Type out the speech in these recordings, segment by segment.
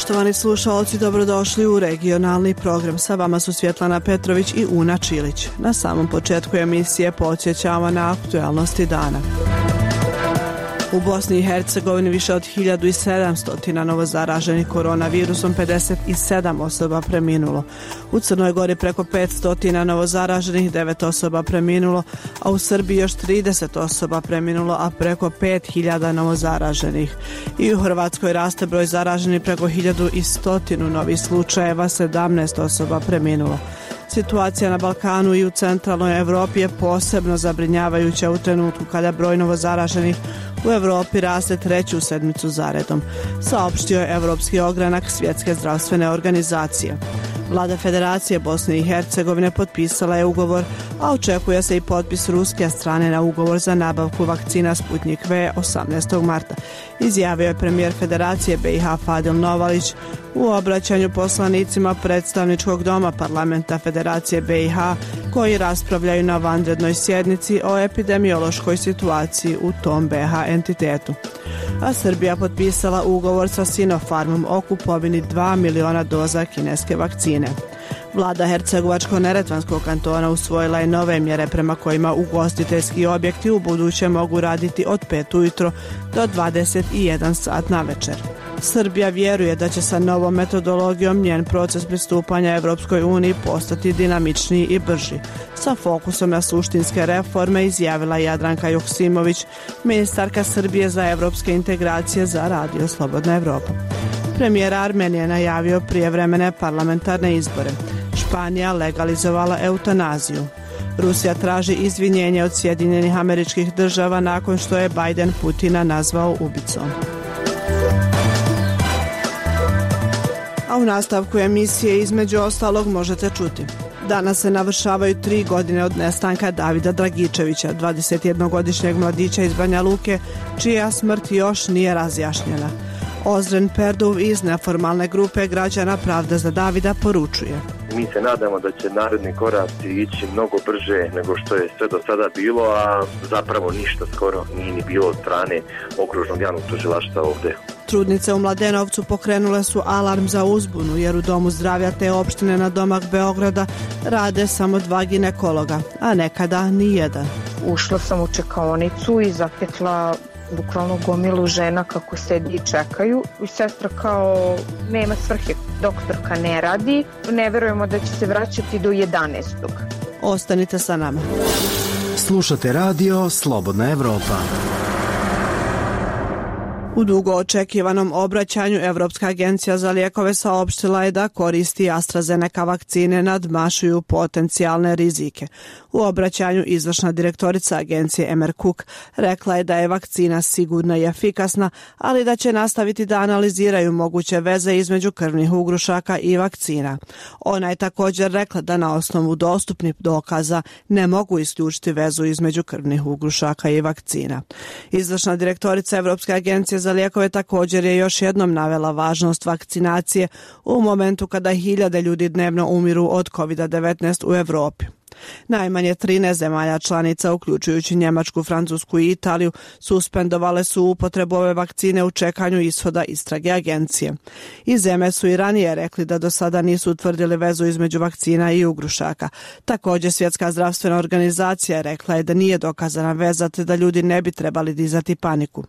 Poštovani slušalci, dobrodošli u regionalni program. Sa vama su Svjetlana Petrović i Una Čilić. Na samom početku emisije podsjećamo na aktualnosti dana. U Bosni i Hercegovini više od 1700 novozaraženih koronavirusom, 57 osoba preminulo. U Crnoj Gori preko 500 novozaraženih, 9 osoba preminulo, a u Srbiji još 30 osoba preminulo, a preko 5000 novozaraženih. I u Hrvatskoj raste broj zaraženih preko 1100 novih slučajeva, 17 osoba preminulo. Situacija na Balkanu i u centralnoj Evropi je posebno zabrinjavajuća u trenutku kada broj novozaraženih u Evropi raste treću sedmicu zaredom, saopštio je Evropski ogranak Svjetske zdravstvene organizacije. Vlada Federacije Bosne i Hercegovine potpisala je ugovor, a očekuje se i potpis ruske strane na ugovor za nabavku vakcina Sputnik V 18. marta, izjavio je premijer Federacije BiH Fadil Novalić u obraćanju poslanicima predstavničkog doma parlamenta Federacije BiH koji raspravljaju na vanrednoj sjednici o epidemiološkoj situaciji u tom BiH entitetu. A Srbija potpisala ugovor sa Sinopharmom o kupovini 2 miliona doza kineske vakcine. Vlada Hercegovačko-neretvanskog kantona usvojila je nove mjere prema kojima ugostiteljski objekti u buduće mogu raditi od 5 ujutro do 21 sat navečer. Srbija vjeruje da će sa novom metodologijom njen proces pristupanja Evropskoj uniji postati dinamičniji i brži. Sa fokusom na suštinske reforme, izjavila Jadranka Joksimović, ministarka Srbije za evropske integracije za Radio Slobodna Evropa. Premijer Armenije najavio prijevremene parlamentarne izbore. Španija legalizovala eutanaziju. Rusija traži izvinjenje od Sjedinjenih Američkih Država nakon što je Biden Putina nazvao ubicom. A u nastavku emisije između ostalog možete čuti. Danas se navršavaju 3 godine od nestanka Davida Dragičevića, 21-godišnjeg mladića iz Banja Luke, čija smrt još nije razjašnjena. Ozren Perduv iz neformalne grupe građana Pravda za Davida poručuje: mi se nadamo da će naredni koraci ići mnogo brže nego što je sve do sada bilo, a zapravo ništa skoro nije ni bilo od strane okružnog javnog tužilaštva ovdje. Trudnice u Mladenovcu pokrenule su alarm za uzbunu jer u domu zdravlja te opštine na domak Beograda rade samo 2 ginekologa, a nekada ni jedan. Ušla sam u čekaonicu i zatekla bukvalno gomilu žena kako sedi i čekaju. I sestra kao nema svrhe, doktorka ne radi, ne verujemo da će se vraćati do 11. Ostanite sa nama. Slušate radio Slobodna Evropa. U dugo očekivanom obraćanju Evropska agencija za lijekove saopštila je da koristi AstraZeneca vakcine nadmašuju potencijalne rizike. U obraćanju izvršna direktorica agencije Emer Cook rekla je da je vakcina sigurna i efikasna, ali da će nastaviti da analiziraju moguće veze između krvnih ugrušaka i vakcina. Ona je također rekla da na osnovu dostupnih dokaza ne mogu isključiti vezu između krvnih ugrušaka i vakcina. Izvršna direktorica Evropske agencije za lijekove također je još jednom navela važnost vakcinacije u momentu kada 1000 ljudi dnevno umiru od COVID-19 u Evropi. Najmanje 13 zemalja članica, uključujući Njemačku, Francusku i Italiju, suspendovale su upotrebu ove vakcine u čekanju ishoda istrage agencije. I zemlje su i ranije rekli da do sada nisu utvrdili vezu između vakcina i ugrušaka. Također Svjetska zdravstvena organizacija rekla je da nije dokazana veza te da ljudi ne bi trebali dizati paniku.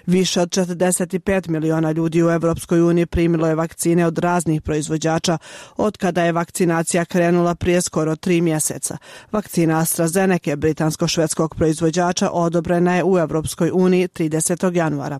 Više od 45 miliona ljudi u Evropskoj uniji primilo je vakcine od raznih proizvođača od kada je vakcinacija krenula prije skoro 3 mjeseca. Vakcina AstraZeneca britansko-švedskog proizvođača odobrena je u Evropskoj uniji 30. januara.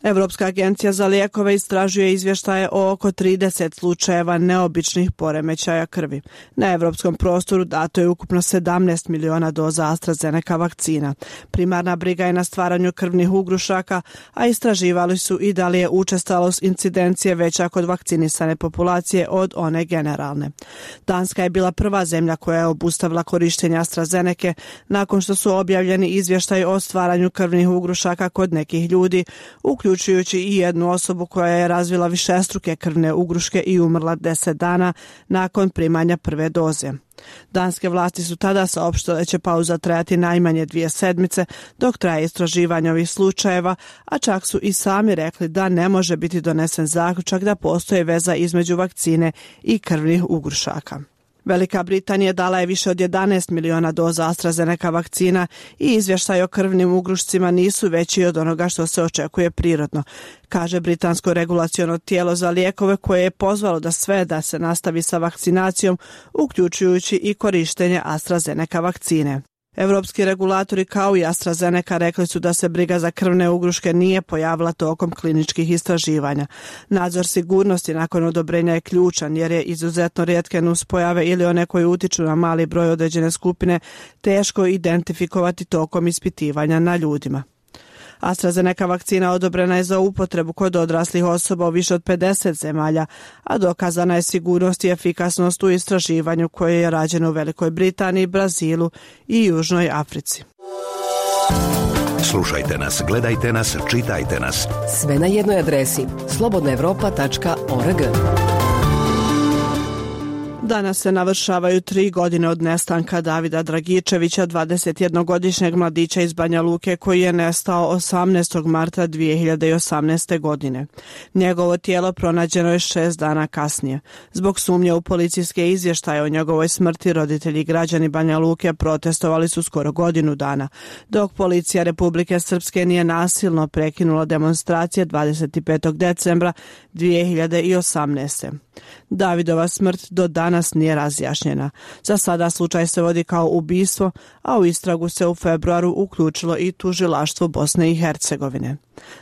Evropska agencija za lijekove istražuje izvještaje o oko 30 slučajeva neobičnih poremećaja krvi. Na evropskom prostoru dato je ukupno 17 miliona doza AstraZeneca vakcina. Primarna briga je na stvaranju krvnih ugrušaka, a istraživali su i da li je učestalost incidencije veća kod vakcinisane populacije od one generalne. Danska je bila prva zemlja koja je obustavila korištenje AstraZeneca nakon što su objavljeni izvještaji o stvaranju krvnih ugrušaka kod nekih ljudi, uključujući i jednu osobu koja je razvila višestruke krvne ugruške i umrla 10 dana nakon primanja prve doze. Danske vlasti su tada saopštile da će pauza trajati najmanje 2 sedmice dok traje istraživanje ovih slučajeva, a čak su i sami rekli da ne može biti donesen zaključak da postoji veza između vakcine i krvnih ugrušaka. Velika Britanija dala je više od 11 miliona doza AstraZeneca vakcina i izvještaj o krvnim ugrušcima nisu veći od onoga što se očekuje prirodno, kaže britansko regulaciono tijelo za lijekove koje je pozvalo da se nastavi sa vakcinacijom, uključujući i korištenje AstraZeneca vakcine. Evropski regulatori kao i AstraZeneca rekli su da se briga za krvne ugruške nije pojavila tokom kliničkih istraživanja. Nadzor sigurnosti nakon odobrenja je ključan jer je izuzetno rijetke nuspojave ili one koje utiču na mali broj određene skupine teško identifikovati tokom ispitivanja na ljudima. AstraZeneca vakcina odobrena je za upotrebu kod odraslih osoba u više od 50 zemalja, a dokazana je sigurnost i efikasnost u istraživanju koje je rađeno u Velikoj Britaniji, Brazilu i Južnoj Africi. Slušajte nas, gledajte nas, čitajte nas. Sve na jednoj adresi slobodnaevropa.org. Danas se navršavaju 3 godine od nestanka Davida Dragičevića, 21-godišnjeg mladića iz Banja Luke koji je nestao 18. marta 2018. godine. Njegovo tijelo pronađeno je 6 dana kasnije. Zbog sumnje u policijske izvještaje o njegovoj smrti, roditelji i građani Banja Luke protestovali su skoro godinu dana, dok policija Republike Srpske nije nasilno prekinula demonstracije 25. decembra 2018. Davidova smrt do danas nije razjašnjena. Za sada slučaj se vodi kao ubistvo, a u istragu se u februaru uključilo i tužilaštvo Bosne i Hercegovine.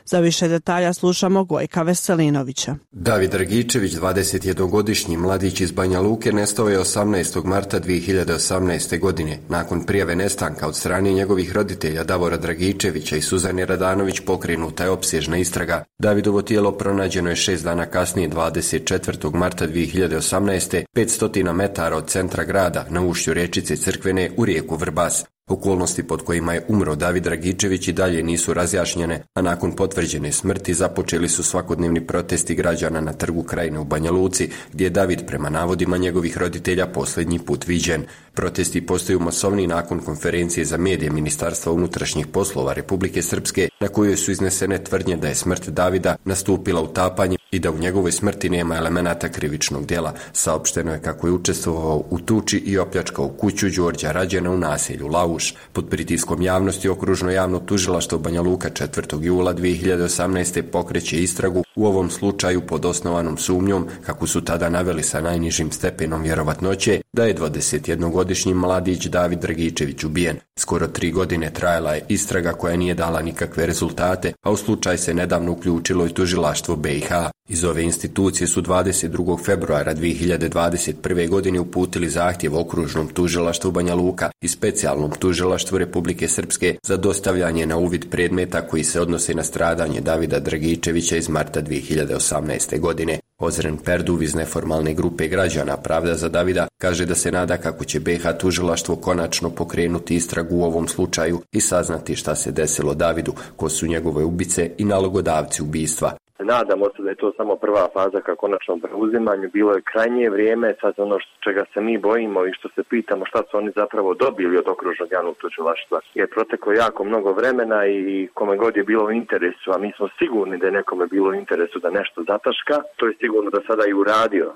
Za više detalja slušamo Gojka Veselinovića. David Dragičević, 21-godišnji mladić iz Banja Luke, nestao je 18. marta 2018. godine. Nakon prijave nestanka od strane njegovih roditelja Davora Dragičevića i Suzane Radanović pokrenuta je opsežna istraga. Davidovo tijelo pronađeno je 6 dana kasnije, 24. marta 2018. 500 metara od centra grada na ušću rječice Crkvene u rijeku Vrbas. Okolnosti pod kojima je umro David Dragičević i dalje nisu razjašnjene, a nakon potvrđene smrti započeli su svakodnevni protesti građana na Trgu Krajine u Banja Luci, gdje je David prema navodima njegovih roditelja posljednji put viđen. Protesti postaju masovniji nakon konferencije za medije Ministarstva unutrašnjih poslova Republike Srpske, na kojoj su iznesene tvrdnje da je smrt Davida nastupila utapanjem i da u njegovoj smrti nema elemenata krivičnog djela. Saopšteno je kako je učestvovao u tuči i opljačkao kuću Đorđa Rađena u naselju Lauš. Pod pritiskom javnosti Okružno javno tužilaštvo Banja Luka 4. jula 2018. pokreće istragu u ovom slučaju pod osnovanom sumnjom, kako su tada naveli sa najnižim stepenom vjerovatnoće, da je 21-godišnji mladić David Dragičević ubijen. Skoro 3 godine trajala je istraga koja nije dala nikakve rezultate, a u slučaj se nedavno uključilo i tužilaštvo BiH. Iz ove institucije su 22. februara 2021. godine uputili zahtjev Okružnom tužilaštvu Banja Luka i Specijalnom tužilaštvu Republike Srpske za dostavljanje na uvid predmeta koji se odnose na stradanje Davida Dragičevića iz marta 2018. godine. Ozren Perduv iz neformalne grupe građana Pravda za Davida kaže da se nada kako će BiH tužilaštvo konačno pokrenuti istragu u ovom slučaju i saznati šta se desilo Davidu, ko su njegove ubice i nalogodavci ubistva. Nadamo se da je to samo prva faza ka konačnom preuzimanju. Bilo je krajnje vrijeme, sad ono čega se mi bojimo i što se pitamo šta su oni zapravo dobili od Okružnog javnog tužilaštva. Jer proteklo jako mnogo vremena i kome god je bilo u interesu, a mi smo sigurni da je nekome bilo u interesu da nešto zataška, to je sigurno da sada i uradio.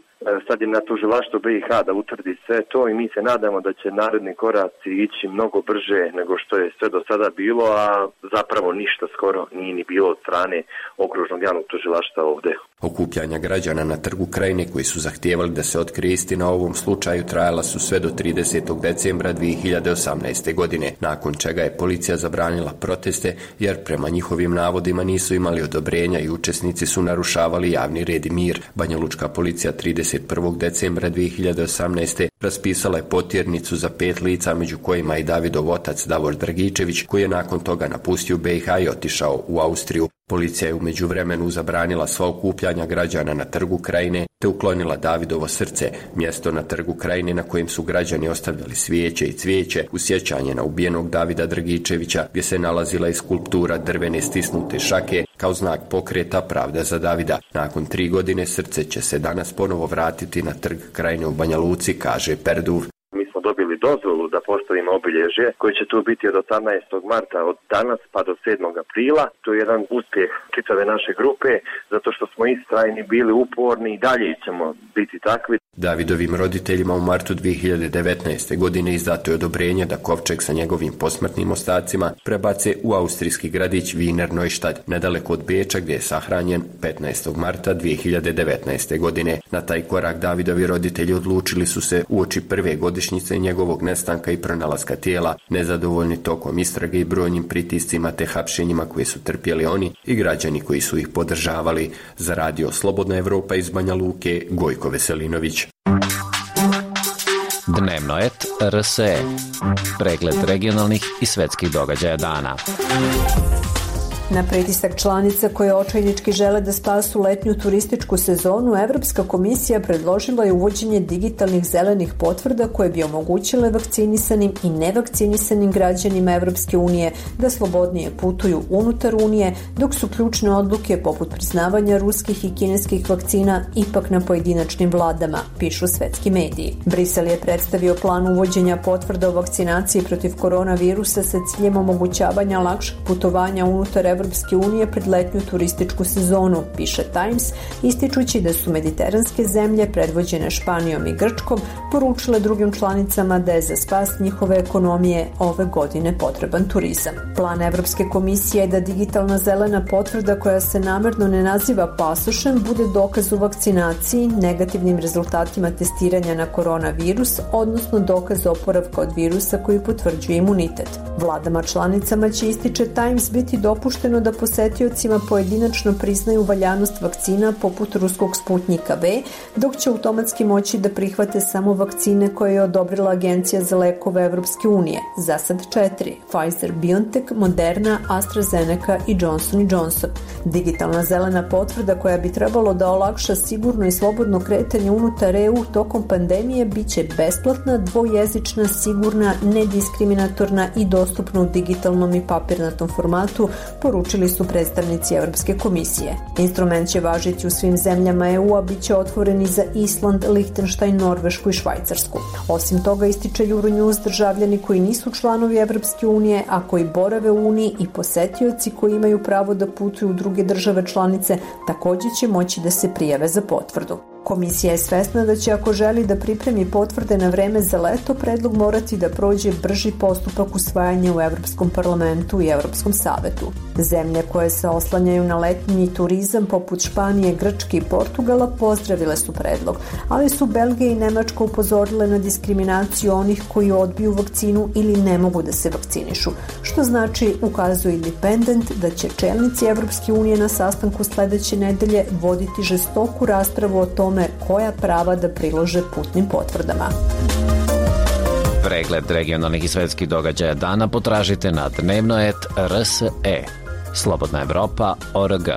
Sad je na tužilaštvu BiH da utvrdi sve to i mi se nadamo da će naredni koraci ići mnogo brže nego što je sve do sada bilo, a zapravo ništa skoro nije ni bilo od strane Okružnog javnog tužilaštva ovdje. Okupljanja građana na Trgu Krajine koji su zahtijevali da se otkrije istina o ovom slučaju trajala su sve do 30. decembra 2018. godine, nakon čega je policija zabranila proteste jer prema njihovim navodima nisu imali odobrenja i učesnici su narušavali javni red i mir. Banjalučka policija 31. decembra 2018. raspisala je potjernicu za 5 lica, među kojima i Davidov otac Davor Dragičević, koji je nakon toga napustio BiH i otišao u Austriju. Policija je u međuvremenu zabranila sva okupljanja građana na Trgu Krajine, te uklonila Davidovo srce, mjesto na Trgu Krajine na kojem su građani ostavljali svijeće i cvijeće u sjećanje na ubijenog Davida Dragičevića, gdje se nalazila i skulptura drvene stisnute šake kao znak pokreta Pravda za Davida. Nakon 3 godine srce će se danas ponovo vratiti na Trg Krajine u Banja Luci, kaže Perduv. Mi smo dobili dozvolu da postavimo obilježje koje će tu biti od 18. marta od danas pa do 7. aprila. To je jedan uspjeh čitave naše grupe zato što smo istrajni, bili uporni i dalje ćemo biti takvi. Davidovim roditeljima u martu 2019. godine izdato je odobrenje da kovčeg sa njegovim posmrtnim ostacima prebace u austrijski gradić Wiener Neustadt, nedaleko od Beča, gdje je sahranjen 15. marta 2019. godine. Na taj korak Davidovi roditelji odlučili su se uoči prve godišnjice njegovog nestanka i pronalaska tijela, nezadovoljni tokom istrage i brojnim pritiscima te hapšenjima koje su trpjeli oni i građani koji su ih podržavali. Za Radio Slobodna Evropa iz Banja Luke, Gojko Veselinović. Dnevnoet RSE. Pregled regionalnih i svetskih događaja dana. Na pritisak članica koje očajnički žele da spasu letnju turističku sezonu, Evropska komisija predložila je uvođenje digitalnih zelenih potvrda koje bi omogućile vakcinisanim i nevakcinisanim građanima Evropske unije da slobodnije putuju unutar Unije, dok su ključne odluke poput priznavanja ruskih i kineskih vakcina ipak na pojedinačnim vladama, pišu svetski mediji. Brisel je predstavio plan uvođenja potvrda o vakcinaciji protiv koronavirusa sa ciljem omogućavanja lakšeg putovanja unutar Evropske unije pred letnju turističku sezonu, piše Times, ističući da su mediteranske zemlje predvođene Španijom i Grčkom poručile drugim članicama da je za spas njihove ekonomije ove godine potreban turizam. Plan Evropske komisije je da digitalna zelena potvrda koja se namerno ne naziva pasošem bude dokaz o vakcinaciji, negativnim rezultatima testiranja na koronavirus, odnosno dokaz oporavka od virusa koji potvrđuje imunitet. Vladama članicama će, ističe Times, biti dopušteno da posetiocima pojedinačno priznaju valjanost vakcina poput ruskog Sputnika V, dok će automatski moći da prihvate samo vakcine koje je odobrila Agencija za lekove Evropske unije, za sad 4, Pfizer, BioNTech, Moderna, AstraZeneca i Johnson & Johnson. Digitalna zelena potvrda koja bi trebalo da olakša sigurno i slobodno kretanje unutar EU tokom pandemije biće besplatna, dvojezična, sigurna, nediskriminatorna i dostupna u digitalnom i papirnatom formatu, poručili su predstavnici Evropske komisije. Instrument će važiti u svim zemljama EU-a, bit će otvoren i za Island, Lihtenštajn, Norvešku i Švajcarsku. Osim toga, ističe Euronews, državljani koji nisu članovi Evropske unije, a koji borave u Uniji i posetioci koji imaju pravo da putuju u druge države članice, također će moći da se prijave za potvrdu. Komisija je svesna da će, ako želi da pripremi potvrde na vreme za leto, predlog morati da prođe brži postupak usvajanja u Evropskom parlamentu i Evropskom savetu. Zemlje koje se oslanjaju na letnji turizam poput Španije, Grčke i Portugala pozdravile su predlog, ali su Belgija i Nemačka upozorile na diskriminaciju onih koji odbiju vakcinu ili ne mogu da se vakcinišu, što znači, ukazuje Independent, da će čelnici Evropske unije na sastanku sledeće nedelje voditi žestoku raspravu o tome koja prava da prilože putnim potvrdama. Pregled regionalnih i svetskih događaja dana potražite na Dnevnoet RSE. Slobodna Evropa.org.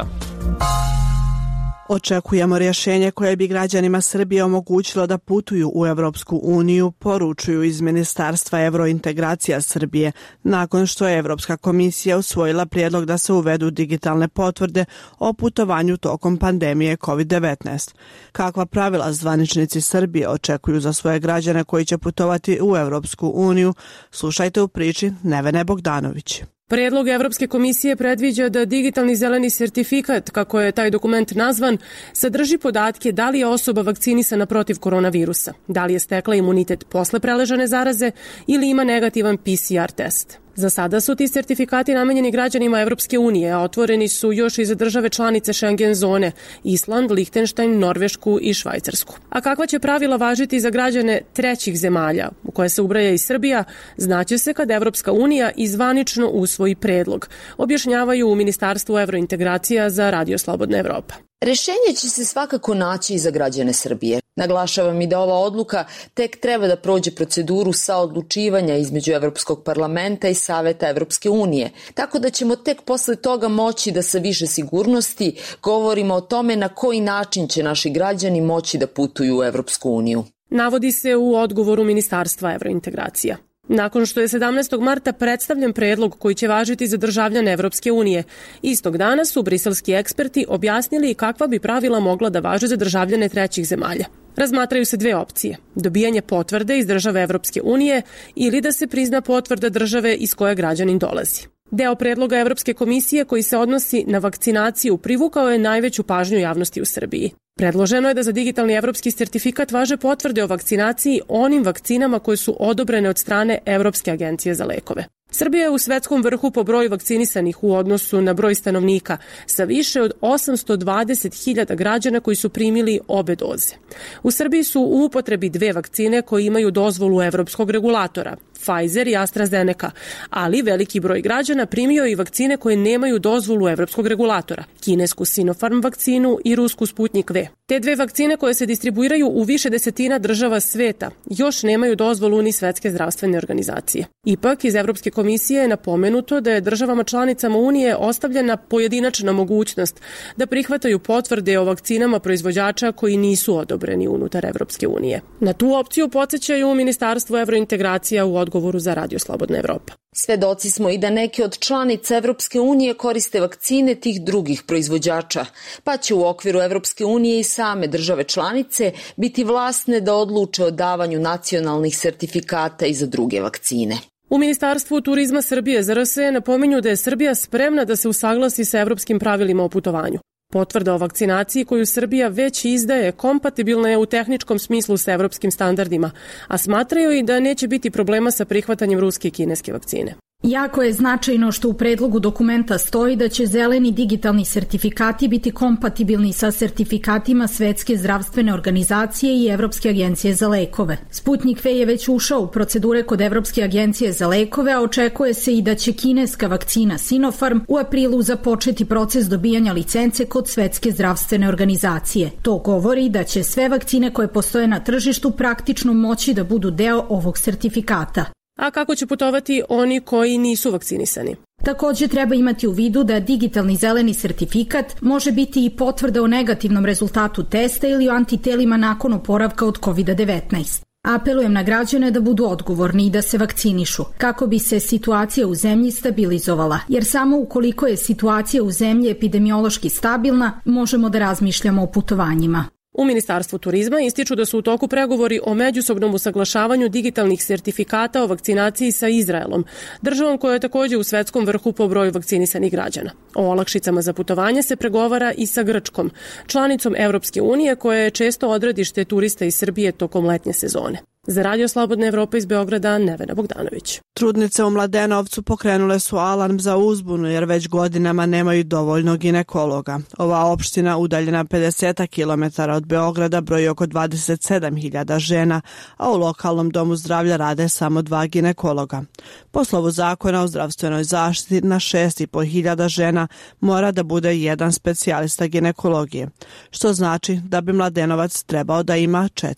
Očekujemo rješenje koje bi građanima Srbije omogućilo da putuju u Evropsku uniju, poručuju iz Ministarstva evrointegracija Srbije, nakon što je Evropska komisija usvojila prijedlog da se uvedu digitalne potvrde o putovanju tokom pandemije COVID-19. Kakva pravila zvaničnici Srbije očekuju za svoje građane koji će putovati u Evropsku uniju, slušajte u priči Nevene Bogdanović. Predlog Evropske komisije predviđa da digitalni zeleni sertifikat, kako je taj dokument nazvan, sadrži podatke da li je osoba vakcinisana protiv koronavirusa, da li je stekla imunitet posle preležane zaraze ili ima negativan PCR test. Za sada su ti sertifikati namenjeni građanima Evropske unije, a otvoreni su još i za države članice Schengen zone, Island, Lihtenštajn, Norvešku i Švajcarsku. A kakva će pravila važiti za građane trećih zemalja, u koje se ubraja i Srbija, znaće se kad Evropska unija izvanično usvoji predlog, objašnjavaju u Ministarstvu evrointegracija za Radio Slobodna Evropa. Rešenje će se svakako naći i za građane Srbije. Naglašavam i da ova odluka tek treba da prođe proceduru saodlučivanja između Evropskog parlamenta i Saveta Evropske unije, tako da ćemo tek posle toga moći da sa više sigurnosti govorimo o tome na koji način će naši građani moći da putuju u Evropsku uniju. Navodi se u odgovoru Ministarstva evrointegracija. Nakon što je 17. marta predstavljen predlog koji će važiti za državljane Evropske unije, istog dana su briselski eksperti objasnili kakva bi pravila mogla da važe za državljane trećih zemalja. Razmatraju se dve opcije: dobijanje potvrde iz države Evropske unije ili da se prizna potvrda države iz koje građanin dolazi. Deo predloga Evropske komisije koji se odnosi na vakcinaciju privukao je najveću pažnju javnosti u Srbiji. Predloženo je da za digitalni evropski sertifikat važe potvrde o vakcinaciji onim vakcinama koje su odobrene od strane Evropske agencije za lekove. Srbija je u svetskom vrhu po broju vakcinisanih u odnosu na broj stanovnika, sa više od 820.000 građana koji su primili obe doze. U Srbiji su u upotrebi dve vakcine koje imaju dozvolu evropskog regulatora, Pfizer i AstraZeneca, ali veliki broj građana primio i vakcine koje nemaju dozvolu evropskog regulatora, kinesku Sinopharm vakcinu i rusku Sputnik V. Te dve vakcine koje se distribuiraju u više desetina država sveta još nemaju dozvolu ni Svetske zdravstvene organizacije. Ipak, iz Evropske komisije je napomenuto da je državama članicama Unije ostavljena pojedinačna mogućnost da prihvataju potvrde o vakcinama proizvođača koji nisu odobreni unutar Evropske unije. Na tu opciju podsjećaju Ministarstvo evrointegracija u odgovoru za Radio Slobodna Evropa. Svedoci smo i da neke od članica Evropske unije koriste vakcine tih drugih proizvođača, pa će u okviru Evropske unije i same države članice biti vlasne da odluče o davanju nacionalnih sertifikata i za druge vakcine. U Ministarstvu turizma Srbije ZRS napominju da je Srbija spremna da se usaglasi sa evropskim pravilima o putovanju. Potvrda o vakcinaciji koju Srbija već izdaje kompatibilna je u tehničkom smislu sa evropskim standardima, a smatraju i da neće biti problema sa prihvatanjem ruske i kineske vakcine. Jako je značajno što u predlogu dokumenta stoji da će zeleni digitalni sertifikati biti kompatibilni sa sertifikatima Svetske zdravstvene organizacije i Evropske agencije za lekove. Sputnik V je već ušao u procedure kod Evropske agencije za lekove, a očekuje se i da će kineska vakcina Sinopharm u aprilu započeti proces dobijanja licence kod Svetske zdravstvene organizacije. To govori da će sve vakcine koje postoje na tržištu praktično moći da budu deo ovog sertifikata. A kako će putovati oni koji nisu vakcinisani? Također treba imati u vidu da digitalni zeleni sertifikat može biti i potvrda o negativnom rezultatu testa ili o antitelima nakon oporavka od COVID-19. Apelujem na građane da budu odgovorni i da se vakcinišu, kako bi se situacija u zemlji stabilizovala, jer samo ukoliko je situacija u zemlji epidemiološki stabilna, možemo da razmišljamo o putovanjima. U Ministarstvu turizma ističu da su u toku pregovori o međusobnom usaglašavanju digitalnih sertifikata o vakcinaciji sa Izraelom, državom koja je također u svetskom vrhu po broju vakcinisanih građana. O olakšicama za putovanje se pregovara i sa Grčkom, članicom Evropske unije koja je često odredište turista iz Srbije tokom letnje sezone. Za Radio Slobodna Evropa iz Beograda, Nevena Bogdanović. Trudnice u Mladenovcu pokrenule su alarm za uzbunu jer već godinama nemaju dovoljno ginekologa. Ova opština, udaljena 50 km od Beograda, broji oko 27.000 žena, a u lokalnom domu zdravlja rade samo 2 ginekologa. Po slovu zakona o zdravstvenoj zaštiti na 6.500 žena mora da bude jedan specijalista ginekologije, što znači da bi Mladenovac trebao da ima 4.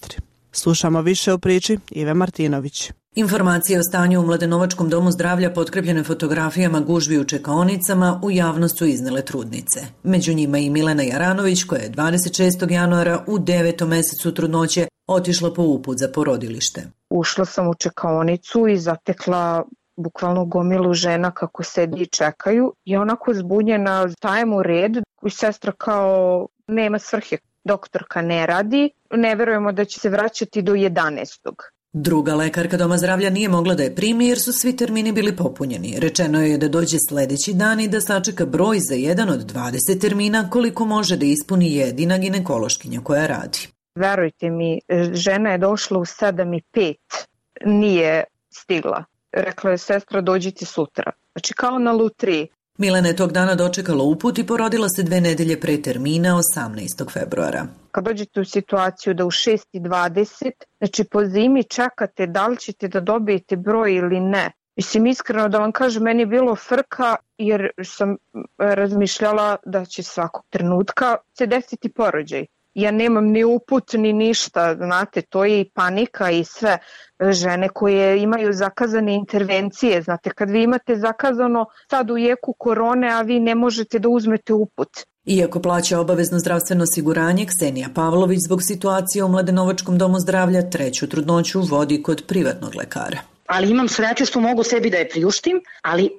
Slušamo više o priči Ive Martinović. Informacije o stanju u Mladenovačkom domu zdravlja potkrepljene fotografijama gužvi u čekaonicama u javnost su iznele trudnice. Među njima i Milena Jaranović koja je 26. januara u 9. mesecu trudnoće otišla po uput za porodilište. Ušla sam u čekaonicu i zatekla bukvalno gomilu žena kako sedi i čekaju i onako zbunjena, stajem u red i sestra kao nema svrhe. Doktorka ne radi, ne verujemo da će se vraćati do 11. Druga lekarka doma zdravlja nije mogla da je primi jer su svi termini bili popunjeni. Rečeno je da dođe sledeći dan i da sačeka broj za jedan od 20 termina koliko može da ispuni jedina ginekološkinja koja radi. Verujte mi, žena je došla u 7:05, nije stigla. Rekla je sestra dođite sutra. Znači kao na lutriji. Milena je tog dana dočekala uput i porodila se 2 nedelje pre termina 18. februara. Kad dođete u situaciju da u 6:20, znači po zimi čekate da li ćete da dobijete broj ili ne, Mislim, iskreno da vam kažem, meni je bilo frka jer sam razmišljala da će svakog trenutka se desiti porođaj. Ja nemam ni uput ni ništa, znate, to je i panika i sve žene koje imaju zakazane intervencije. Znate, kad vi imate zakazano sad u jeku korone, a vi ne možete da uzmete uput. Iako plaća obavezno zdravstveno osiguranje, Ksenija Pavlović zbog situacije u Mladenovačkom domu zdravlja 3. trudnoću vodi kod privatnog lekara. Ali imam sreću što mogu sebi da je priuštim, ali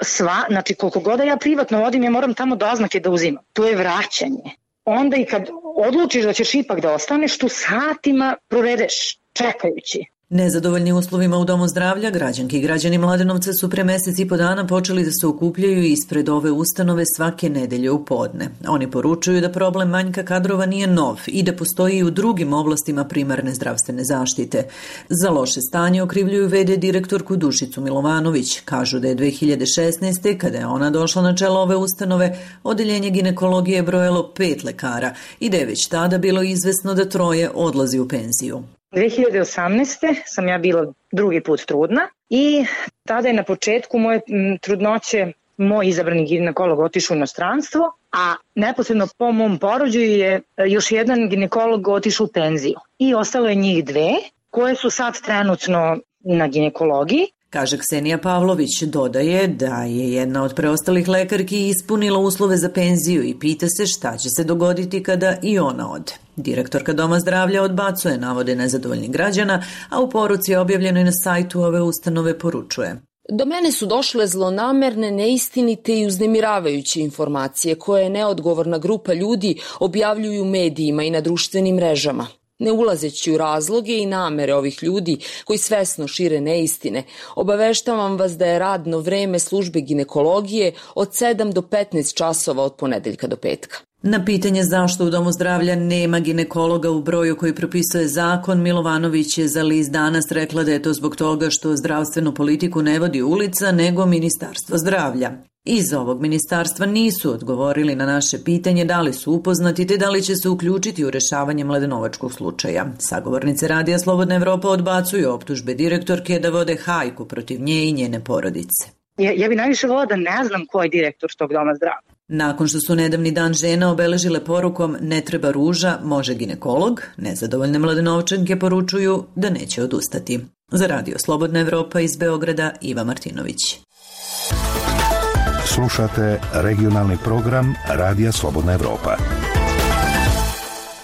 znači koliko god da ja privatno vodim, ja moram tamo doznake da uzimam. To je vraćanje. Onda i kad odlučiš da ćeš ipak da ostaneš, tu satima provedeš čekajući. Nezadovoljni uslovima u domu zdravlja, građanke i građani Mladenovca su pre mesec i po dana počeli da se okupljaju ispred ove ustanove svake nedelje u podne. Oni poručuju da problem manjka kadrova nije nov i da postoji i u drugim oblastima primarne zdravstvene zaštite. Za loše stanje okrivljuju v.d. direktorku Dušicu Milovanović. Kažu da je 2016. kada je ona došla na čelo ove ustanove, odeljenje ginekologije je brojalo 5 lekara i da je već tada bilo izvesno da 3 odlazi u penziju. 2018. sam ja bila drugi put trudna i tada je na početku moje trudnoće moj izabrani ginekolog otišao u inostranstvo, a neposredno po mom porođaju je još jedan ginekolog otišao u penziju. I ostalo je njih 2 koje su sad trenutno na ginekologiji. Kaže Ksenija Pavlović, dodaje da je jedna od preostalih lekarki ispunila uslove za penziju i pita se šta će se dogoditi kada i ona ode. Direktorka Doma zdravlja odbacuje navode nezadovoljnih građana, a u poruci objavljenoj na sajtu ove ustanove poručuje: Do mene su došle zlonamerne, neistinite i uznemiravajuće informacije koje neodgovorna grupa ljudi objavljuju u medijima i na društvenim mrežama. Ne ulazeći u razloge i namere ovih ljudi koji svesno šire neistine, obaveštavam vas da je radno vreme službe ginekologije od 7 do 15 časova od ponedeljka do petka. Na pitanje zašto u Domu zdravlja nema ginekologa u broju koji propisuje zakon, Milovanović je za list Danas rekla da je to zbog toga što zdravstvenu politiku ne vodi ulica nego Ministarstvo zdravlja. Iz ovog ministarstva nisu odgovorili na naše pitanje da li su upoznati te da li će se uključiti u rešavanje mladenovačkog slučaja. Sagovornice Radija Slobodna Evropa odbacuju optužbe direktorke da vode hajku protiv nje i njene porodice. Ja bi najviše volila da ne znam ko je direktor tog Doma zdravlja. Nakon što su nedavni dan žena obeležile porukom "Ne treba ruža, može ginekolog", nezadovoljne Mladenovčanke poručuju da neće odustati. Za Radio Slobodna Evropa iz Beograda, Iva Martinović. Slušate regionalni program Radija Slobodna Evropa.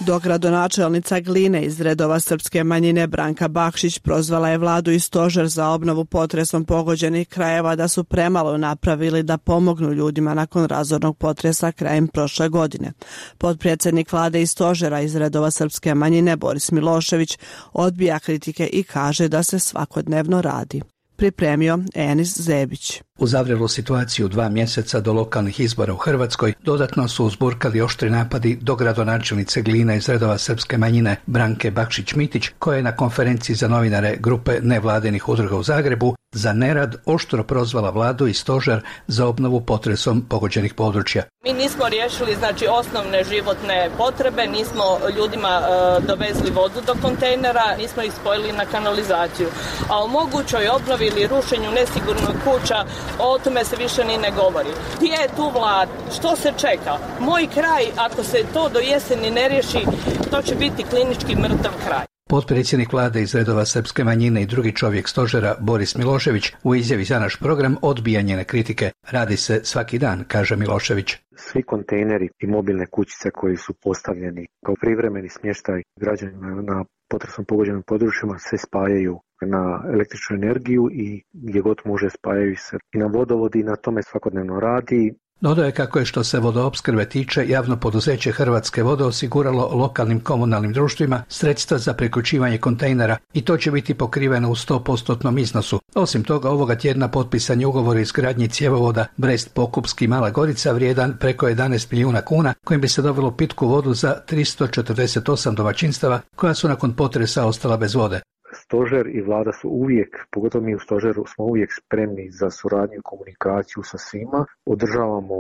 Dogradonačelnica Gline iz redova srpske manjine Branka Bakšić prozvala je vladu i stožer za obnovu potresom pogođenih krajeva da su premalo napravili da pomognu ljudima nakon razornog potresa krajem prošle godine. Potpredsjednik vlade i stožera iz redova srpske manjine Boris Milošević odbija kritike i kaže da se svakodnevno radi. Pripremio Enis Zebić. U zavrelu situaciju 2 mjeseca do lokalnih izbora u Hrvatskoj dodatno su uzburkali oštri napadi do gradonačelnice Gline iz redova srpske manjine Branke Bakšić-Mitić, koja je na konferenciji za novinare grupe nevladinih udruga u Zagrebu za nerad oštro prozvala vladu i stožer za obnovu potresom pogođenih područja. Mi nismo riješili osnovne životne potrebe, nismo ljudima dovezli vodu do kontejnera, nismo ih spojili na kanalizaciju. A o mogućoj obnovi ili rušenju nesigurnog kuća, o tome se više ni ne govori. Gdje je tu vlada? Što se čeka? Moj kraj, ako se to do jeseni ne riješi, to će biti klinički mrtav kraj. Potpredsjednik vlade iz redova srpske manjine i drugi čovjek stožera Boris Milošević u izjavi za naš program odbija njene kritike. Radi se svaki dan, kaže Milošević. Svi kontejneri i mobilne kućice koji su postavljeni kao privremeni smještaj građanima na potresom pogođenim područjima se spajaju na električnu energiju i gdje god može spajaju se i na vodovod i na tome svakodnevno radi. Dodaje kako je što se vodoopskrbe tiče, javno poduzeće Hrvatske vode osiguralo lokalnim komunalnim društvima sredstva za priključivanje kontejnera i to će biti pokriveno u 100% iznosu. Osim toga, ovoga tjedna potpisan je ugovor o izgradnji cjevovoda Brest-Pokupski Mala Gorica vrijedan preko 11 milijuna kuna, kojim bi se dobilo pitku vodu za 348 domaćinstava koja su nakon potresa ostala bez vode. Stožer i vlada su uvijek, pogotovo mi u stožeru, smo uvijek spremni za suradnju i komunikaciju sa svima. Održavamo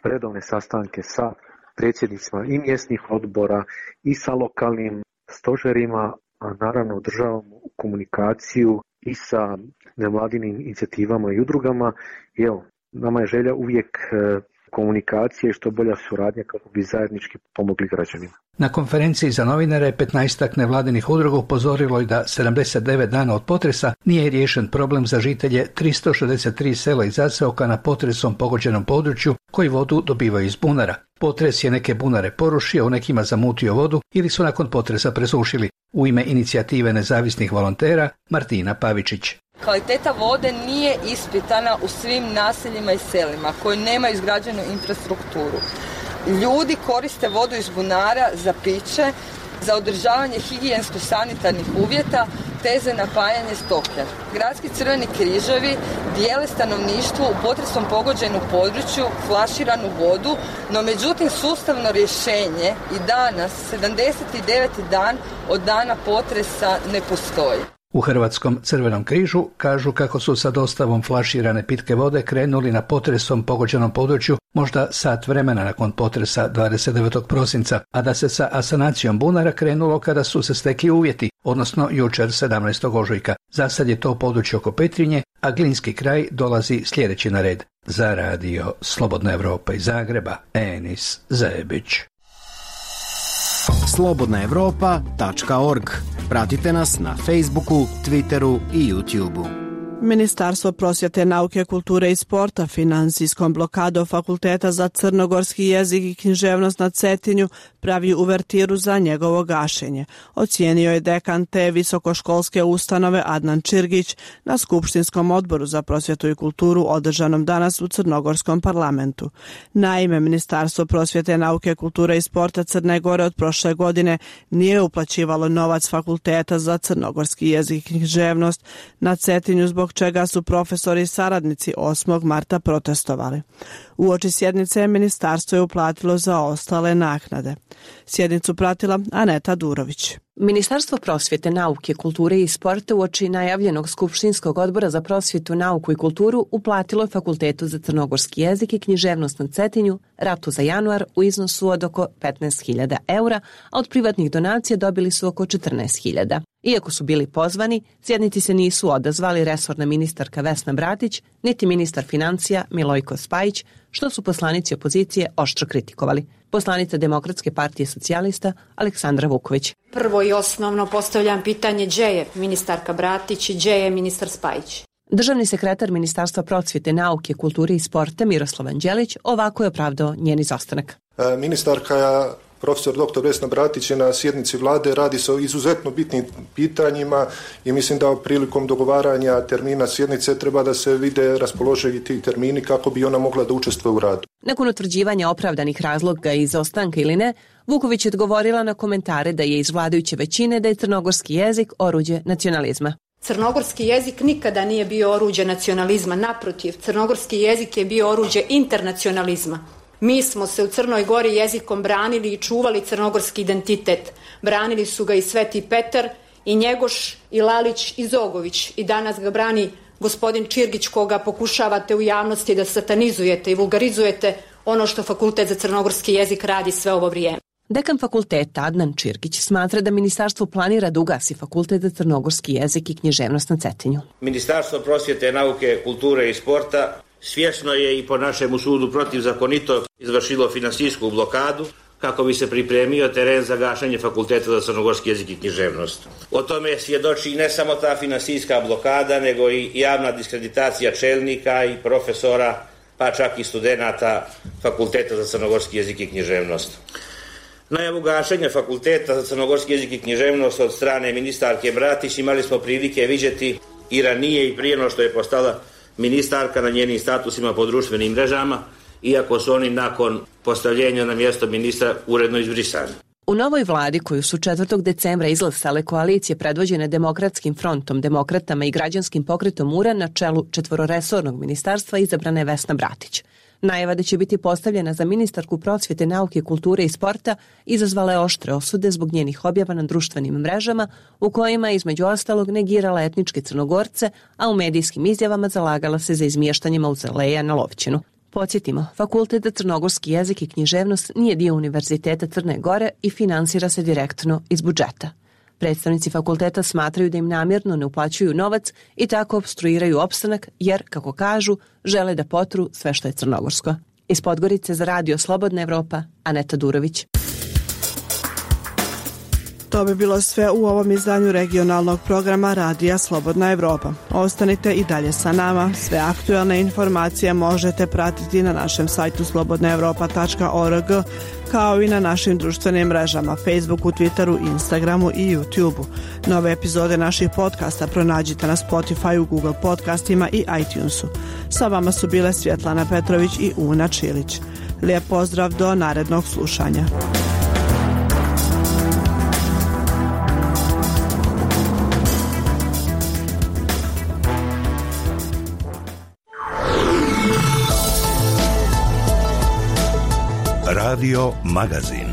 redovne sastanke sa predsjednicima i mjesnih odbora i sa lokalnim stožerima, a naravno održavamo komunikaciju i sa nevladinim inicijativama i udrugama. I evo, nama je želja uvijek komunikacije i što bolja suradnja kako bi zajednički pomogli građanima. Na konferenciji za novinare 15 nevladinih udruga upozorilo je da 79 dana od potresa nije riješen problem za žitelje 363 sela i zaseoka na potresom pogođenom području koji vodu dobivaju iz bunara. Potres je neke bunare porušio, u nekima zamutio vodu ili su nakon potresa presušili. U ime inicijative nezavisnih volontera Martina Pavičić. Kvaliteta vode nije ispitana u svim naseljima i selima koji nemaju izgrađenu infrastrukturu. Ljudi koriste vodu iz bunara za piće, za održavanje higijensko-sanitarnih uvjeta te za napajanje stoke. Gradski crveni križevi dijele stanovništvu u potresom pogođenom području flaširanu vodu, no međutim sustavno rješenje i danas, 79. dan od dana potresa, ne postoji. U Hrvatskom crvenom križu kažu kako su sa dostavom flaširane pitke vode krenuli na potresom pogođenom području možda sat vremena nakon potresa 29. prosinca, a da se sa asanacijom bunara krenulo kada su se stekli uvjeti, odnosno jučer 17. ožujka. Za sad je to područje oko Petrinje, a Glinski kraj dolazi sljedeći na red. Za radio Slobodna Evropa iz Zagreba, Enis Zebić. slobodnaevropa.org. Pratite nas na Facebooku, Twitteru i YouTubeu. Ministarstvo prosvjete, nauke, kulture i sporta financijskom blokadom Fakulteta za crnogorski jezik i književnost na Cetinju pravi uvertiru za njegovo gašenje. Ocijenio je dekan te visokoškolske ustanove Adnan Čirgić na Skupštinskom odboru za prosvjetu i kulturu održanom danas u Crnogorskom parlamentu. Naime, Ministarstvo prosvjete, nauke, kulture i sporta Crne Gore od prošle godine nije uplaćivalo novac Fakulteta za crnogorski jezik i književnost na Cetinju, zbog čega su profesori i saradnici 8. marta protestovali. Uoči sjednice ministarstvo je uplatilo za ostale naknade. Sjednicu pratila Aneta Durović. Ministarstvo prosvjete, nauke, kulture i sporta uoči najavljenog Skupštinskog odbora za prosvjetu, nauku i kulturu uplatilo je Fakultetu za crnogorski jezik i književnost na Cetinju ratu za januar u iznosu od oko 15.000 eura, a od privatnih donacija dobili su oko 14.000. Iako su bili pozvani, sjednici se nisu odazvali resorna ministarka Vesna Bratić, niti ministar financija Milojko Spajić, što su poslanici opozicije oštro kritikovali. Poslanica Demokratske partije socijalista Aleksandra Vuković. Prvo i osnovno postavljam pitanje gdje je ministarka Bratić i gdje je ministar Spajić. Državni sekretar Ministarstva prosvjete, nauke, kulture i sporta Miroslav Anđelić ovako je opravdao njen izostanak. Ministarka profesor dr. Vesna Bratić je na sjednici vlade, radi se o izuzetno bitnim pitanjima i mislim da prilikom dogovaranja termina sjednice treba da se vide raspoloživi ti termini kako bi ona mogla da učestvuje u radu. Nakon utvrđivanja opravdanih razloga izostanka ili ne, Vuković je odgovorila na komentare da je iz vladajuće većine da je crnogorski jezik oruđe nacionalizma. Crnogorski jezik nikada nije bio oruđe nacionalizma, naprotiv, crnogorski jezik je bio oruđe internacionalizma. Mi smo se u Crnoj Gori jezikom branili i čuvali crnogorski identitet. Branili su ga i Sveti Petar, i Njegoš, i Lalić, i Zogović. I danas ga brani gospodin Čirgić, koga pokušavate u javnosti da satanizujete i vulgarizujete ono što Fakultet za crnogorski jezik radi sve ovo vrijeme. Dekan fakulteta Adnan Čirgić smatra da ministarstvo planira da ugasi Fakultet za crnogorski jezik i književnost na Cetinju. Ministarstvo prosvjete, nauke, kulture i sporta svjesno je i po našemu sudu protivzakonito izvršilo finansijsku blokadu kako bi se pripremio teren za gašenje Fakulteta za crnogorski jezik i književnost. O tome svjedoči ne samo ta finansijska blokada, nego i javna diskreditacija čelnika i profesora, pa čak i studenata Fakulteta za crnogorski jezik i književnost. Najavu gašenja Fakulteta za crnogorski jezik i književnost od strane ministarke Bratić imali smo prilike vidjeti i ranije i prije no što je postala ministarka na njenim statusima po društvenim mrežama, iako su oni nakon postavljenja na mjesto ministra uredno izbrisani. U novoj vladi koju su 4. decembra izglasale koalicije predvođene Demokratskim frontom, Demokratama i Građanskim pokretom URA na čelu 4-resornog ministarstva izabrana je Vesna Bratić. Najava da će biti postavljena za ministarku prosvjete, nauke, kulture i sporta izazvala je oštre osude zbog njenih objava na društvenim mrežama u kojima je između ostalog negirala etničke Crnogorce, a u medijskim izjavama zalagala se za izmještanje mauzoleja na Lovćinu. Podsjetimo, Fakultet za crnogorski jezik i književnost nije dio Univerziteta Crne Gore i finansira se direktno iz budžeta. Predstavnici fakulteta smatraju da im namjerno ne uplaćuju novac i tako opstruiraju opstanak jer, kako kažu, žele da potru sve što je crnogorsko. Iz Podgorice za Radio Slobodna Evropa, Aneta Durović. To bi bilo sve u ovom izdanju regionalnog programa Radija Slobodna Evropa. Ostanite i dalje sa nama. Sve aktuelne informacije možete pratiti na našem sajtu slobodnaevropa.org, kao i na našim društvenim mrežama Facebooku, Twitteru, Instagramu i YouTubeu. Nove epizode naših podcasta pronađite na Spotifyu, Google podcastima i iTunesu. Sa vama su bile Svjetlana Petrović i Una Čilić. Lijep pozdrav do narednog slušanja. Radio Magazin.